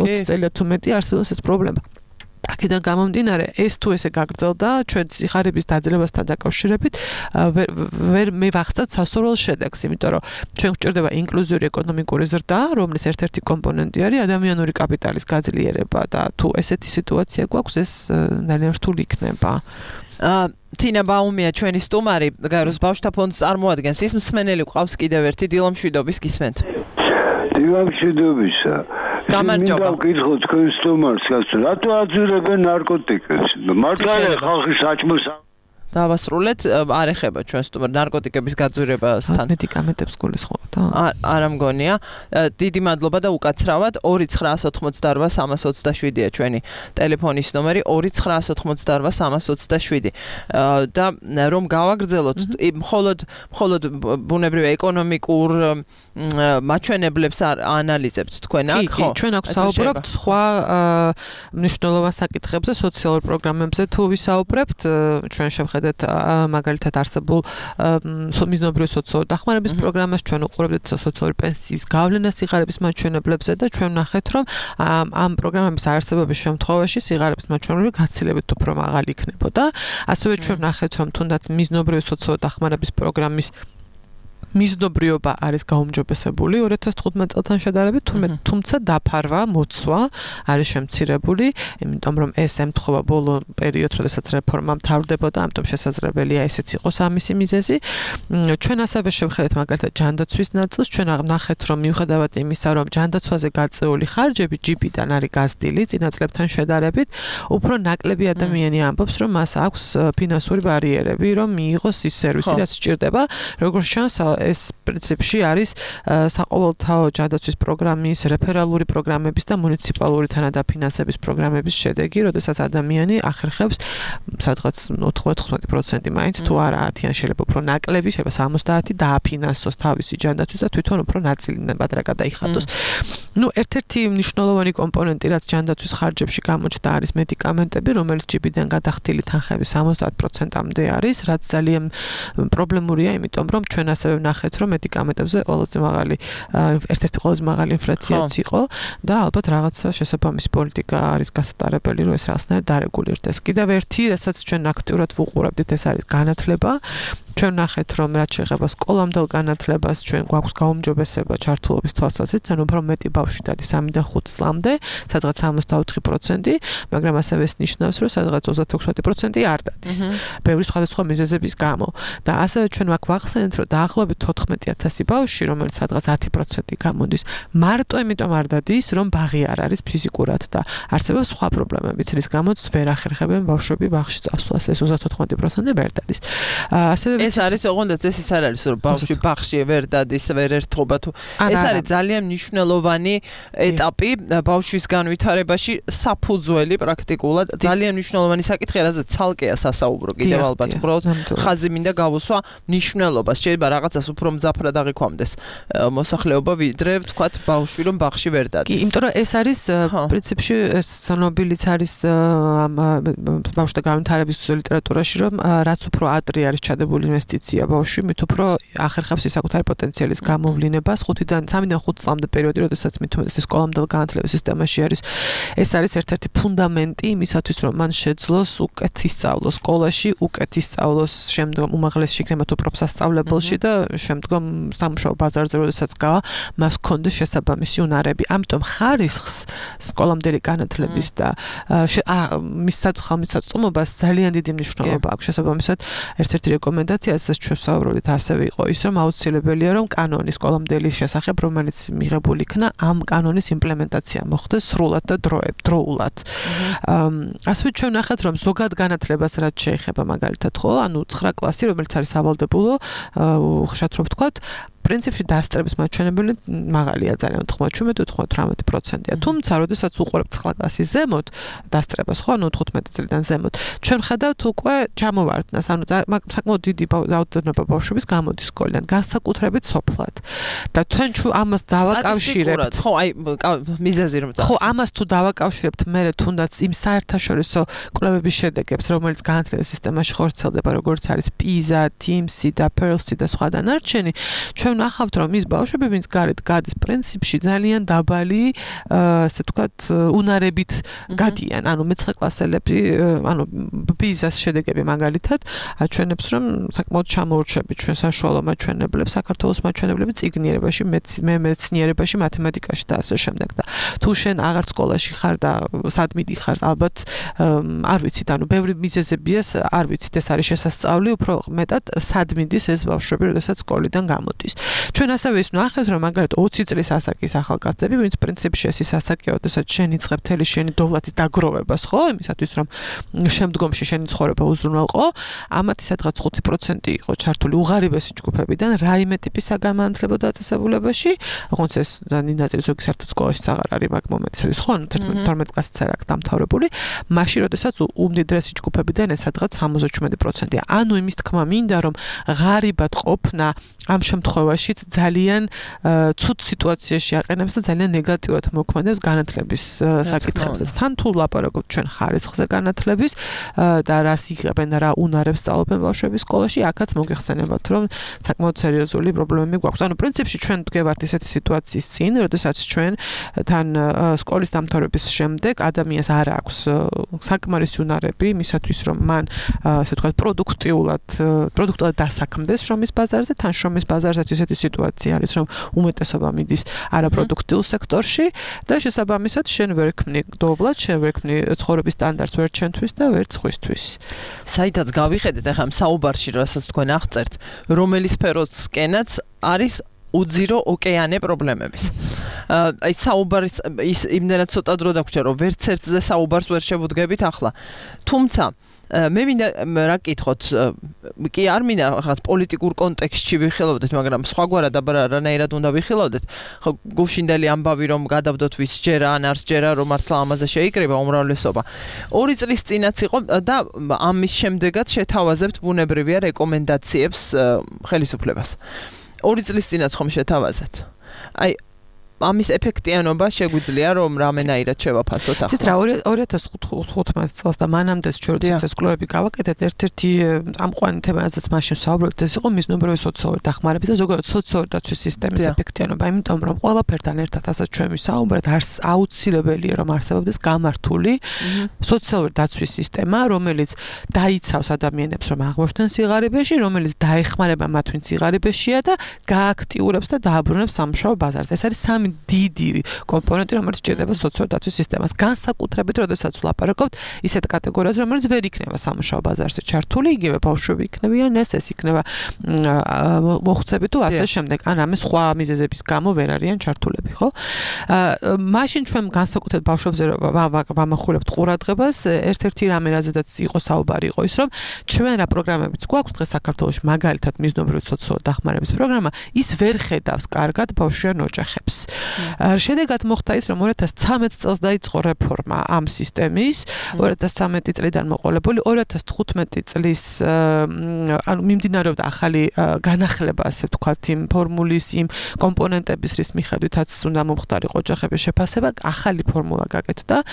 ოცი წელია თუ მეტი არსებობს ეს პრობლემა. აქედან გამომდინარე, ეს თუ ესე გაგრძელდა, ჩვენ სიხარების დაძლებასთან დაკავშირებით ვერ მე ვახცევთ სასურველ შედეგს, იმიტომ რომ ჩვენ გვჭირდება ინკლუზიური ეკონომიკური ზრდა, რომლის ერთ-ერთი კომპონენტი არის ადამიანური კაპიტალის გაძლიერება და თუ ესეთი სიტუაცია გვაქვს, ეს ძალიან რთული იქნება. თინა ბაუმია ჩვენი სტუმარი, გაეროს ბავშვთა ფონდს წარმოადგენს. ის მსმენელი ყავს კიდევ ერთი დილა მშვიდობის გისმენთ. დილა მშვიდობისა. გამარჯობა. მინდა ვკითხო თქვენ სტუმარს, რატო აძურებენ ნარკოტიკებს? მართლა ხალხი საჭმელს დავასრულეთ, არ ეხება ჩვენ სტუმარ ნარკოტიკების გაძვირებასთან. მედიკამენტებს გულისხმობთ? არ მგონია. დიდი მადლობა და უკაცრავად ორი ცხრაას ოცდაოთხმოცდაორვა სამას ოცდაშვიდია ჩვენი ტელეფონის ნომერი ორი ცხრაას ოცდაოთხმოცდაორვა სამას ოცდაშვიდი. და რომ გავაგრძელოთ, მხოლოდ მხოლოდ ბუნებრივ ეკონომიკურ მაჩვენებლებს ანალიზებთ თქვენ აქ, ხო? ჩვენ აქ საუბრობთ სხვა მნიშვნელოვან საკითხებზე, სოციალურ პროგრამებზე თუ ვისაუბრებთ, ჩვენ შევხედეთ მაგალითად არსებულ მიზნობრივი სოციალური დახმარების პროგრამას, ჩვენ უყურებთ სოციალური პენსიის გავლენას სიღარიბის მაჩვენებლებზე და ჩვენ ვნახეთ, რომ ამ პროგრამების არარსებობის შემთხვევაში სიღარიბის მაჩვენებლები გაცილებით უფრო მაღალი იქნებოდა. ასევე ჩვენ ვნახეთ, რომ თუნდაც მიზნობრივი სოციალური დახმარების პროგრამის მიზნობრიობა არის გაუმჯობესებული ორი ათას თხუთმეტ წელთან შედარებით, თუმცა დაფარვა, მოცვა არის შემცირებული, იმიტომ რომ ეს ემთხვევა ბოლო პერიოდს, როდესაც რეფორმა მთავრდებოდა, ამიტომ შესაძლებელია ესეც იყოს ამისი მიზეზი. ჩვენ ასევე შევხედეთ მაგალითად ჯანდაცვის ნაწილს, ჩვენ ვნახეთ, რომ მიუხედავად იმისა, რომ ჯანდაცვაზე გაწეული ხარჯები ჯი პი-დან არის გაზრდილი წინა წლებთან შედარებით, უფრო ნაკლები ადამიანი ამბობს, რომ მას აქვს ფინანსური ბარიერები, რომ მიიღოს ის სერვისი, რაც სჭირდება, როგორც ჩანს ეს პრინციპში არის საყოველთაო ჯანდაცვის პროგრამის, რეფერალური პროგრამების და მუნიციპალური თანადაფინანსების პროგრამების შედეგი, როდესაც ადამიანი ახერხებს სადღაც ოთხმოცდათხმეტი პროცენტი მაინც თუ არა ათიან შეიძლება უფრო ნაკლები, შეიძლება სამოცდაათი დააფინანსოს თავისი ჯანდაცვის და თვითონ უფრო ნაწილი ნებადრა გადაიხადოს. ნუ ერთ-ერთი მნიშვნელოვანი კომპონენტი, რაც ჯანდაცვის ხარჯებში გამოჩნდა, არის მედიკამენტები, რომელიც ჯიბიდან გადახდილი თანხების სამოცდაათ პროცენტამდე არის, რაც ძალიან პრობლემურია, იმიტომ რომ ჩვენ ასევე ვნახეთ, რომ მედიკამენტებზე ყველაზე მაღალი ერთ-ერთი ყველაზე მაღალი ინფლაციაც იყო და ალბათ რაღაცა შესაბამისი პოლიტიკა არის გასატარებელი, რომ ეს რაღაცნაირად დარეგულირდეს. კიდევ ერთი, რასაც ჩვენ აქტიურად ვუყურებდით, ეს არის განათლება. ჩვენ ვნახეთ, რომ რაც შეეხება სკოლამდელ განათლებას, ჩვენ გვაქვს გაუმჯობესება ჩართულობის თვალსაზრისით, ანუ უფრო მეტი ბავშვი დადის სამიდან ხუთ წლამდე, სადღაც სამოცდაოთხი პროცენტი, მაგრამ ასევე ეს ნიშნავს, რომ სადღაც ოცდაექვსი პროცენტი არ დადის. ბევრი სხვადასხვა მიზეზების გამო. და ასევე ჩვენ აქ ვახსენეთ, რომ დაახლოებით თოთხმეტი ათასი ბავშვი, რომელიც სადღაც ათი პროცენტი გამოდის, მარტო იმიტომ არ დადის, რომ ბაღი არ არის ფიზიკურად და არსებობს სხვა პრობლემებიც, რის გამოც ვერ ახერხებენ ბავშვები ბაღში წასვლას. ეს ოცდაოთხი პროცენტი ვერ დადის. ასევე ეს არის ოღონდ ეს ის არ არის რომ ბავშვი ბაღში ვერ დადის, ვერ ერთობა თუ ეს არის ძალიან მნიშვნელოვანი ეტაპი ბავშვის განვითარებაში, საფუძველი პრაქტიკულად ძალიან მნიშვნელოვანი საკითხია, რაზეც ცალკეა სასაუბრო კიდევ ალბათ უბრალოდ ხაზი მინდა გავუსვა მნიშვნელობას, შეიძლება რაღაცას უფრო მძაფრად აღიქვამდეს მოსახლეობა ვიდრე ვთქვათ ბავშვი რომ ბაღში ვერ დადის. კი, იმიტომ რომ ეს არის პრინციპში ეს ცნობილიც არის ბავშვთა განვითარების ლიტერატურაში, რომ რაც უფრო ადრე არის ჩადებული ინვესტიცია ბავშვი, მით უფრო ახერხებს ის საკუთარი პოტენციალის გამოვლინებას ხუთიდან სამიდან ხუთ წლამდე პერიოდი, როდესაც მით უმეტეს სკოლამდელ განათლების სისტემაში არის. ეს არის ერთ-ერთი ფუნდამენტი იმისათვის, რომ მან შეძლოს უკეთ ისწავლოს სკოლაში, უკეთ ისწავლოს შემდგომ უმაღლეს შიგნებად თუ პროფსასწავლებელში და შემდგომ სამუშაო ბაზარზე, როდესაც გავა, მას ჰქონდეს შესაბამისი უნარები. ამიტომ ხარისხს სკოლამდელი განათლების და მის ხელმისაწვდომობას ძალიან დიდი მნიშვნელობა აქვს. შესაბამისად, ერთ-ერთი რეკომენდაცია, რასაც ჩვენ ვსაუბრობთ, ასევე იყო ის, რომ აუცილებელია, რომ კანონი სკოლამდელი შესახებ, რომელიც მიღებული იქნა, ამ კანონის იმპლემენტაცია მოხდეს სრულად და დროულად. ასევე ჩვენ ვნახეთ, რომ ზოგად განათლებას რაც შეეხება მაგალითად, ხო, ანუ ცხრა კლასი, რომელიც არის სავალდებულო, ხშირად რომ ვთქვათ, პრინციპში დასწრების მაჩვენებელი მაღალია ძალიან თხმაათი თხმაათი პროცენტია. თუმცა, როდესაც უყურებთ ცხრა კლასის ზემოთ დასწრებას, ხო, ანუ თხუთმეტი წლიდან ზემოთ, ჩვენ ხედავთ უკვე ჩამოვარდნას, ანუ საკმაოდ დიდი რაოდენობა ბავშვების გამოდის სკოლიდან, განსაკუთრებით სოფლად. და ჩვენ თუ ამას დავაკავშირებთ, ხო, აი მიზეზი რომ ხო, ამას თუ დავაკავშირებთ, მე თუნდაც იმ საერთაშორისო კვლევების შედეგებს, რომელიც განათლების სისტემაში ხორციელდება, როგორც არის პიზა, TIMSS და PIRLS და სხვა დანარჩენი, ჩვენ ვნახავთ, რომ ის ბავშვები, ვინც გარეთ გადის, პრინციპში ძალიან დაბალი, ასე ვთქვათ, უნარებით გადიან. ანუ მეცხრე კლასელები, ანუ პიზას შედეგები მაგალითად აჩვენებს, რომ საკმაოდ ჩამოურჩებით ჩვენ საშუალო მაჩვენებლებს, საქართველოს მაჩვენებლები წიგნიერებაში, მეცნიერებაში, მათემატიკაში და ასე შემდეგ. და თუ შენ აღარ სკოლაში ხარ და სად მიდიხარ, ალბათ არ ვიცით, ანუ ბევრი მიზეზებია, არ ვიცით, ეს არის შესასწავლი, უფრო მეტად სად მიდის ეს ბავშვები, როდესაც სკოლიდან გამოდის. ჩვენ ასევე ის ვნახეთ, რომ მაგალითად ოცი წლის ასაკის ახალგაზრდები, ვინც პრინციპში ეს ის ასაკია, როდესაც შენ იწყებ მთელი შენი დოვლათის დაგროვებას, ხო, იმისათვის რომ შემდგომში შენი ცხოვრება უზრუნველყო, ამათი სადღაც ხუთი პროცენტი იყო ჩართული უღარიბესი ჯგუფებიდან რაიმე ტიპის საგანმანათლებლო დაწესებულებაში, ოღონდ ეს ნინაწილი ზოგი საერთოდ სკოლაში აღარ არის მაგ მომენტში, ხო, თორმეტ კლასიც არ აქვს დამთავრებული, მაშინ როდესაც უმდიდრესი ჯგუფებიდან ეს სადღაც სამოცდაშვიდი პროცენტია. ანუ იმის თქმა მინდა, რომ ღარიბად ყოფნა ამ შემთხვევაშიც ძალიან ცუდ სიტუაციაში აყენებს და ძალიან ნეგატიურად მოქმედებს განათლების საკითხებზე. თან თუ ლაპარაკობთ ჩვენ ხარისხზე განათლების და რას იღებენ, რა უნარებს სწავლობენ ბავშვები სკოლაში, აქაც მოგეხსენებათ, რომ საკმაოდ სერიოზული პრობლემები გვაქვს. ანუ პრინციპში ჩვენ ვდგევართ ისეთი სიტუაციის წინ, როდესაც ჩვენ თან სკოლის დამთავრების შემდეგ ადამიანს არ აქვს საკმარისი უნარები იმისათვის, რომ მან ასე ვთქვათ პროდუქტიულად პროდუქტულად დასაქმდეს შრომის ბაზარზე, თან შრომის ბაზარზეც ისეთი სიტუაცია არის, რომ უმეტესობა მიდის არაპროდუქტიულ სექტორში და შესაბამისად შენ ვერ ქმნი დოვლად, შენ ვერ ქმნი ცხოვრების სტანდარტს ვერ ჩვენთვის და ვერ სხვისთვის. საითაც გავიხედეთ ახლა საუბარში, რასაც თქვენ აღწერთ, რომელი სფეროსკენაც არის უძირო ოკეანე პრობლემების. აი საუბარის ის იმდენად ცოტა დრო დაგვრჩა, რომ ვერც ერთზე საუბარს ვერ შევუდგებით ახლა. თუმცა მე მინდა რა გკითხოთ, კი არ მინდა რაღაც პოლიტიკურ კონტექსტში ვიხილავდეთ, მაგრამ სხვაგვარად არანაირად უნდა ვიხილავდეთ. ხო, გუშინდელი ამბავი რომ გადავდოთ ვის ჯერა ან არც ჯერა რომ მართლა ამაზე შეიკრიბა უმრავლესობა. ორი წლის წინაც იყო და ამის შემდეგაც შეთავაზებთ ბუნებრივია რეკომენდაციებს ხელისუფლებას. ორი წლის წინაც ხომ შეთავაზეთ. აი ამის ეფექტიანობა შეგვიძლია რომ რამენაირად შევაფასოთ ახლა. ცით რა ორი ათას თხუთმეტ წელს და მანამდე ჩვენ ცეცხლის კლუბები გავაკეთეთ ერთ-ერთი ამყვანი თემა რაზეც მაშინ საუბრობთ ეს იყო მიზნობრივი სოციალური დახმარების და ზოგადად სოციალური დაცვის სისტემის ეფექტიანობა, იმიტომ რომ ყველაფერთან ერთად ასაც ჩვენ ვისაუბრეთ, არს აუცილებელია რომ არსებობდეს გამართული სოციალური დაცვის სისტემა, რომელიც დაიცავს ადამიანებს რომ აღმოჩნდნენ სიღარიბეში, რომელიც დაეხმარება მათ ვინც სიღარიბეშია და გააქტიურებს და დააბრუნებს სამუშაო ბაზარს. ეს არის სამი დიდი კომპონენტი, რომელიც ჭირდება სოციალური დაცვის სისტემას. განსაკუთრებით, როდესაც ვლაპარაკობთ ისეთ კატეგორიაზე, რომელიც ვერ იქნება სამუშაო ბაზარზე ჩართული, იგივე ბავშვები იქნებიან, ეს ეს იქნება მოხუცები თუ ასე შემდეგ, ან რამე სხვა მიზეზების გამო ვერ არიან ჩართულები, ხო? მაშინ ჩვენ განსაკუთრებით ბავშვებზე ვამახვილებთ ყურადღებას, ერთ-ერთი რამე რაზედაც იყო საუბარი იყო ის, რომ ჩვენ რა პროგრამებიც გვაქვს დღეს საქართველოში, მაგალითად მიზნობრივი სოციალური დახმარების პროგრამა, ის ვერ ხედავს კარგად ბავშვიან ოჯახებს. შედეგად მოხდა ის, რომ ორი ათას ცხრამეტ წელს დაიწყო რეფორმა ამ სისტემის, ორი ათას ცხრამეტი წლიდან მოყოლებული, ორი ათას თხუთმეტი წლის ანუ მიმდინარეობდა ახალი განახლება, ასე ვთქვათ, იმ ფორმულის, იმ კომპონენტების, რის მიხედვითაც უნდა მომხდარიყო ოჯახების შეფასება, ახალი ფორმულა გაკეთდა.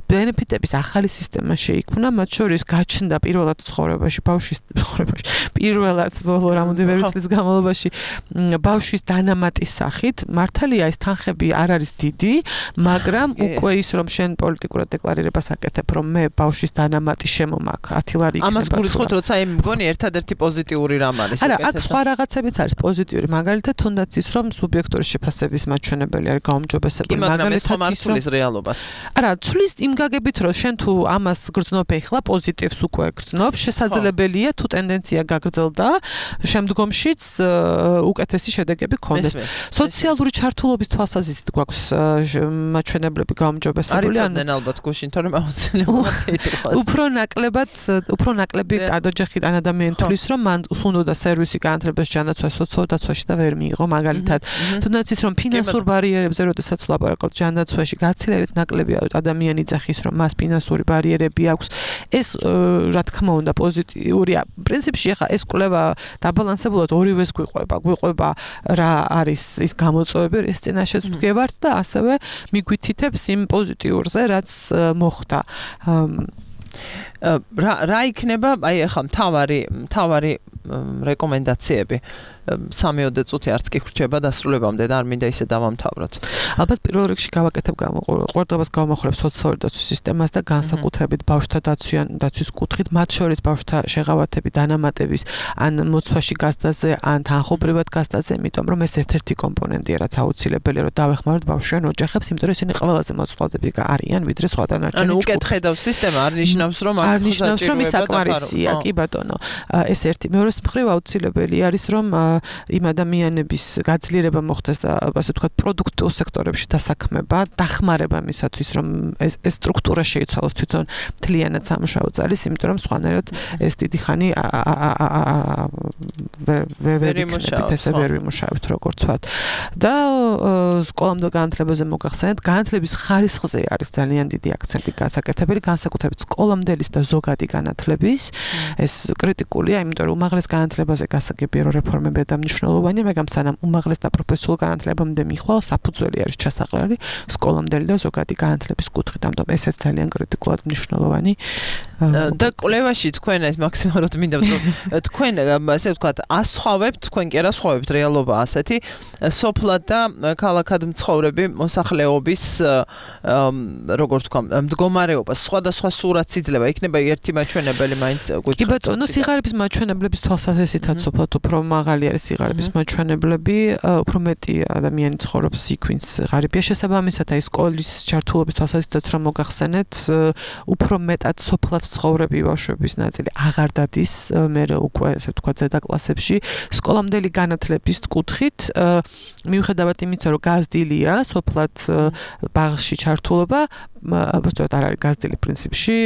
ბენეფიტების ახალი სისტემა შეიქმნა, მათ შორის გაჩნდა პირველად ცხოვრებაში, ბავშვის ცხოვრებაში, პირველად ბოლო რამოდენიმე წლის განმავლობაში ბავშვის დანამატის სახით. მართალია ეს თანხები არ არის დიდი, მაგრამ უკვე ის რომ შენ პოლიტიკურად დეკლარირებას აკეთებ, რომ მე ბავშვის დანამატი შემომაქ ათი ლარი იქნება. ამას გულისხმობთ, როცა მე მგონი ერთადერთი პოზიტიური რამ არის. არა, აქ სხვა რაღაცებიც არის პოზიტიური, მაგალითად თუნდაც ის რომ სუბიექტური შეფასების მაჩვენებელი არის გაუმჯობესებული, მაგალითად ის რომ რეალობას. არა, ცulis იმ გაგებით რომ შენ თუ ამას გრძნობ ეხლა პოზიტივს უკვე გრძნობ, შესაძლებელია თუ ტენდენცია გაგრძელდა, შემდგომშიც უკეთესი შედეგები გქონდეს. სოციალური ჩართულობის თვალსაზრისით გვაქვს მაჩვენებლები გაუმჯობესებული, ან ალბათ გუშინ თორემ აუცილებლად უფრო ნაკლებად, უფრო ნაკლები ოჯახიდან ადამიანი თulis რომ მან უნდა სერვისი განათლებას ჯანდაცვას სოციალურ დაცვაში და ვერ მიიღო, მაგალითად თუნდაც ის რომ ფინანსურ ბარიერებზე როდესაც ვლაპარაკობთ ჯანდაცვაში გაცილებით ნაკლებია ადამიანი ძახის რომ მას ფინანსური ბარიერები აქვს. ეს რა თქმა უნდა პოზიტიურია. პრინციპში ახლა ეს კვლევა დაბალანსებულად ორივეს გვიყვება. გვიყვება რა არის ის გამოწვევები, რის წინაშეც ვდგევართ და ასევე მიგვითითებს იმ პოზიტიურზე, რაც მოხდა. რა რა იქნება, აი ახლა მთავარი მთავარი რეკომენდაციები სამიოდე წუთი არც კი ხრჩება დასრულებამდე და არ მინდა ისე დავამთავროთ. ალბათ პირველ რიგში გავაკეთებ ყურადღებას გავამახვილებ სოციალური დაცვის სისტემას და განსაკუთრებით ბავშვთა დაცვიან დაცვის კუთხით, მათ შორის ბავშვთა შეღავათები, დანამატების ან მოცვაში გასდაზე, ან თანხობრივად გასდაზე, იმიტომ რომ ეს ერთ-ერთი კომპონენტია, რაც აუცილებელია, რომ დავეხმაროთ ბავშვიან ოჯახებს, იმიტომ რომ ისინი ყველაზე მოწყვლადები არიან, ვიდრე სხვა დანარჩენი. ანუ უკეთ ხედავს სისტემა, არ ნიშნავს რომ არ ნიშნავს რომ ის საკმარისია, კი ბატონო. ეს ერთი. მეორე მხრივ აუცილებელი არის რომ იმ ადამიანების გაძლიერება მოხდეს და ასე ვთქვათ პროდუქტიულ სექტორებში დასაქმება, დახმარება მისათვის რომ ეს ეს სტრუქტურა შეიცვალოს თვითონ მთლიანად სამუშაო ძალის, იმიტომ რომ სხვანაირად ეს დიდი ხანი ვერ ვიქნებით, ესე ვერ ვიმუშავებთ როგორც ვთქვათ. და სკოლამდელ განათლებაზე მოგახსენეთ, განათლების ხარისხზე არის ძალიან დიდი აქცენტი გასაკეთებელი, განსაკუთრებით სკოლამდელის და ზოგადი განათლების. ეს კრიტიკულია, იმიტომ რომ უმაღლეს განათლებაზე გასაგებია რომ რეფორმები და მნიშვნელოვანია, მაგრამ სანამ უმაღლეს და პროფესიულ განათლებამდე მიხვალ, საფუძველი არის ჩასაყრელი სკოლამდელი და ზოგადი განათლების კუთხით, ამიტომ ესეც ძალიან კრიტიკულად მნიშვნელოვანი. და კვლევაში თქვენ ეს მაქსიმალურად მინდა რომ თქვენ ასე ვთქვათ, ასხვავებთ, თქვენ კი არა ასხვავებთ რეალობა ასეთი, სოფლად და ქალაქად მცხოვრები მოსახლეობის როგორ თქვა, მდგომარეობას, სხვადასხვა სურათს იძლევა, იქნება ერთი მაჩვენებელი მაინც გვითხრათ. კი ბატონო, სიღარიბის მაჩვენებლების თვალსაზრისითაც სოფლად უფრო მაღალი არის სიღარიბის მაჩვენებლები, უფრო მეტი ადამიანი ცხოვრობს იქ, ვინც ღარიბია, შესაბამისად აი სკოლის ჩართულობის თვალსაზრისითაც რომ მოგახსენეთ, უფრო მეტად სოფლად ცხოვრები ბავშვების ნაწილი აღარ დადის, მე უკვე ასე ვთქვათ ზედა კლასებში, სკოლამდელი განათლების კუთხით, მიუხედავად იმისა, რომ გაზრდილია სოფლად ბაღში ჩართულობა, უბრალოდ არ არის გაზრდილი პრინციპში,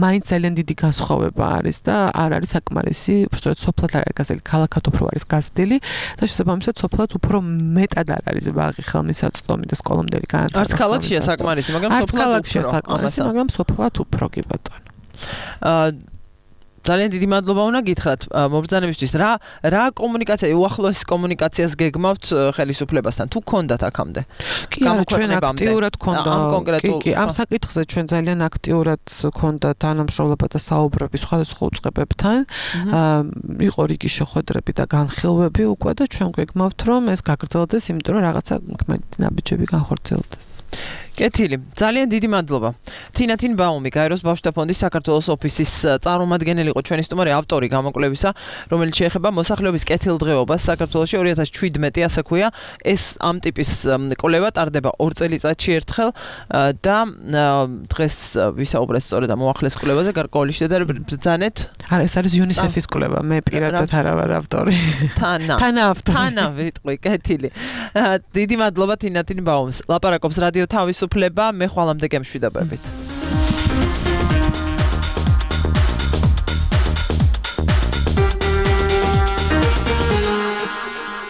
მაინც ძალიან დიდი განსხვავება არის და არ არის საკმარისი, უბრალოდ სოფლად არ არის გაზრდილი, ქალაქად უფრო არის გაზრდილი და შესაბამისად სოფლად უფრო მეტად არ არის ბაღი, ხელმისაწვდომი და სკოლამდელი განათლება. არც ქალაქშია საკმარისი, მაგრამ სოფლად უფრო საკმარისი, მაგრამ სოფლად უფრო კი ბატონო. აა ძალიან დიდი მადლობა უნდა გითხრათ მობრძანებისთვის. რა რა კომუნიკაცია, უახლოეს კომუნიკაციას გეგმავთ ხელისუფლებასთან? თუ გქონდათ აქამდე? კი, არა, ჩვენ აქტიურად გქონდა. კი, კი, ამ საკითხზე ჩვენ ძალიან აქტიურად გქონდა თანამშრომლობა და საუბრები სხვადასხვა უწყებებთან. იყო რიგი შეხვედრები და განხილვები უკვე და ჩვენ გვეგმავთ, რომ ეს გაგრძელდეს, იმიტომ რომ რაღაცა ნაბიჯები განხორციელდეს. კეთილი, ძალიან დიდი მადლობა. თინა თინბაუმი, გაეროს ბავშვთა ფონდის საქართველოს ოფისის წარმომადგენელი იყო ჩვენი სტუმარი, ავტორი გამოკვლევისა, რომელიც შეეხება მოსახლეობის კეთილდღეობას საქართველოში ორი ათას შვიდმეტი, ასე ქვია. ეს ამ ტიპის კვლევა ტარდება ორ წელიწადში ერთხელ და დღეს ვისაუბრეთ სწორედ ამ მოახლეს კვლევაზე, გარკვეული შედარებით ბრძანეთ. არა, ეს არის იუნისეფის კვლევა, მე პირადად არა ვარ ავტორი. თანა. თანა ავტორი. თანა ვიტყვი, კეთილი. დიდი მადლობა თინა თინბაუმს. ლაპარაკობს რადიო თავისუფლება, მე ხვალამდე გემშვიდობებით.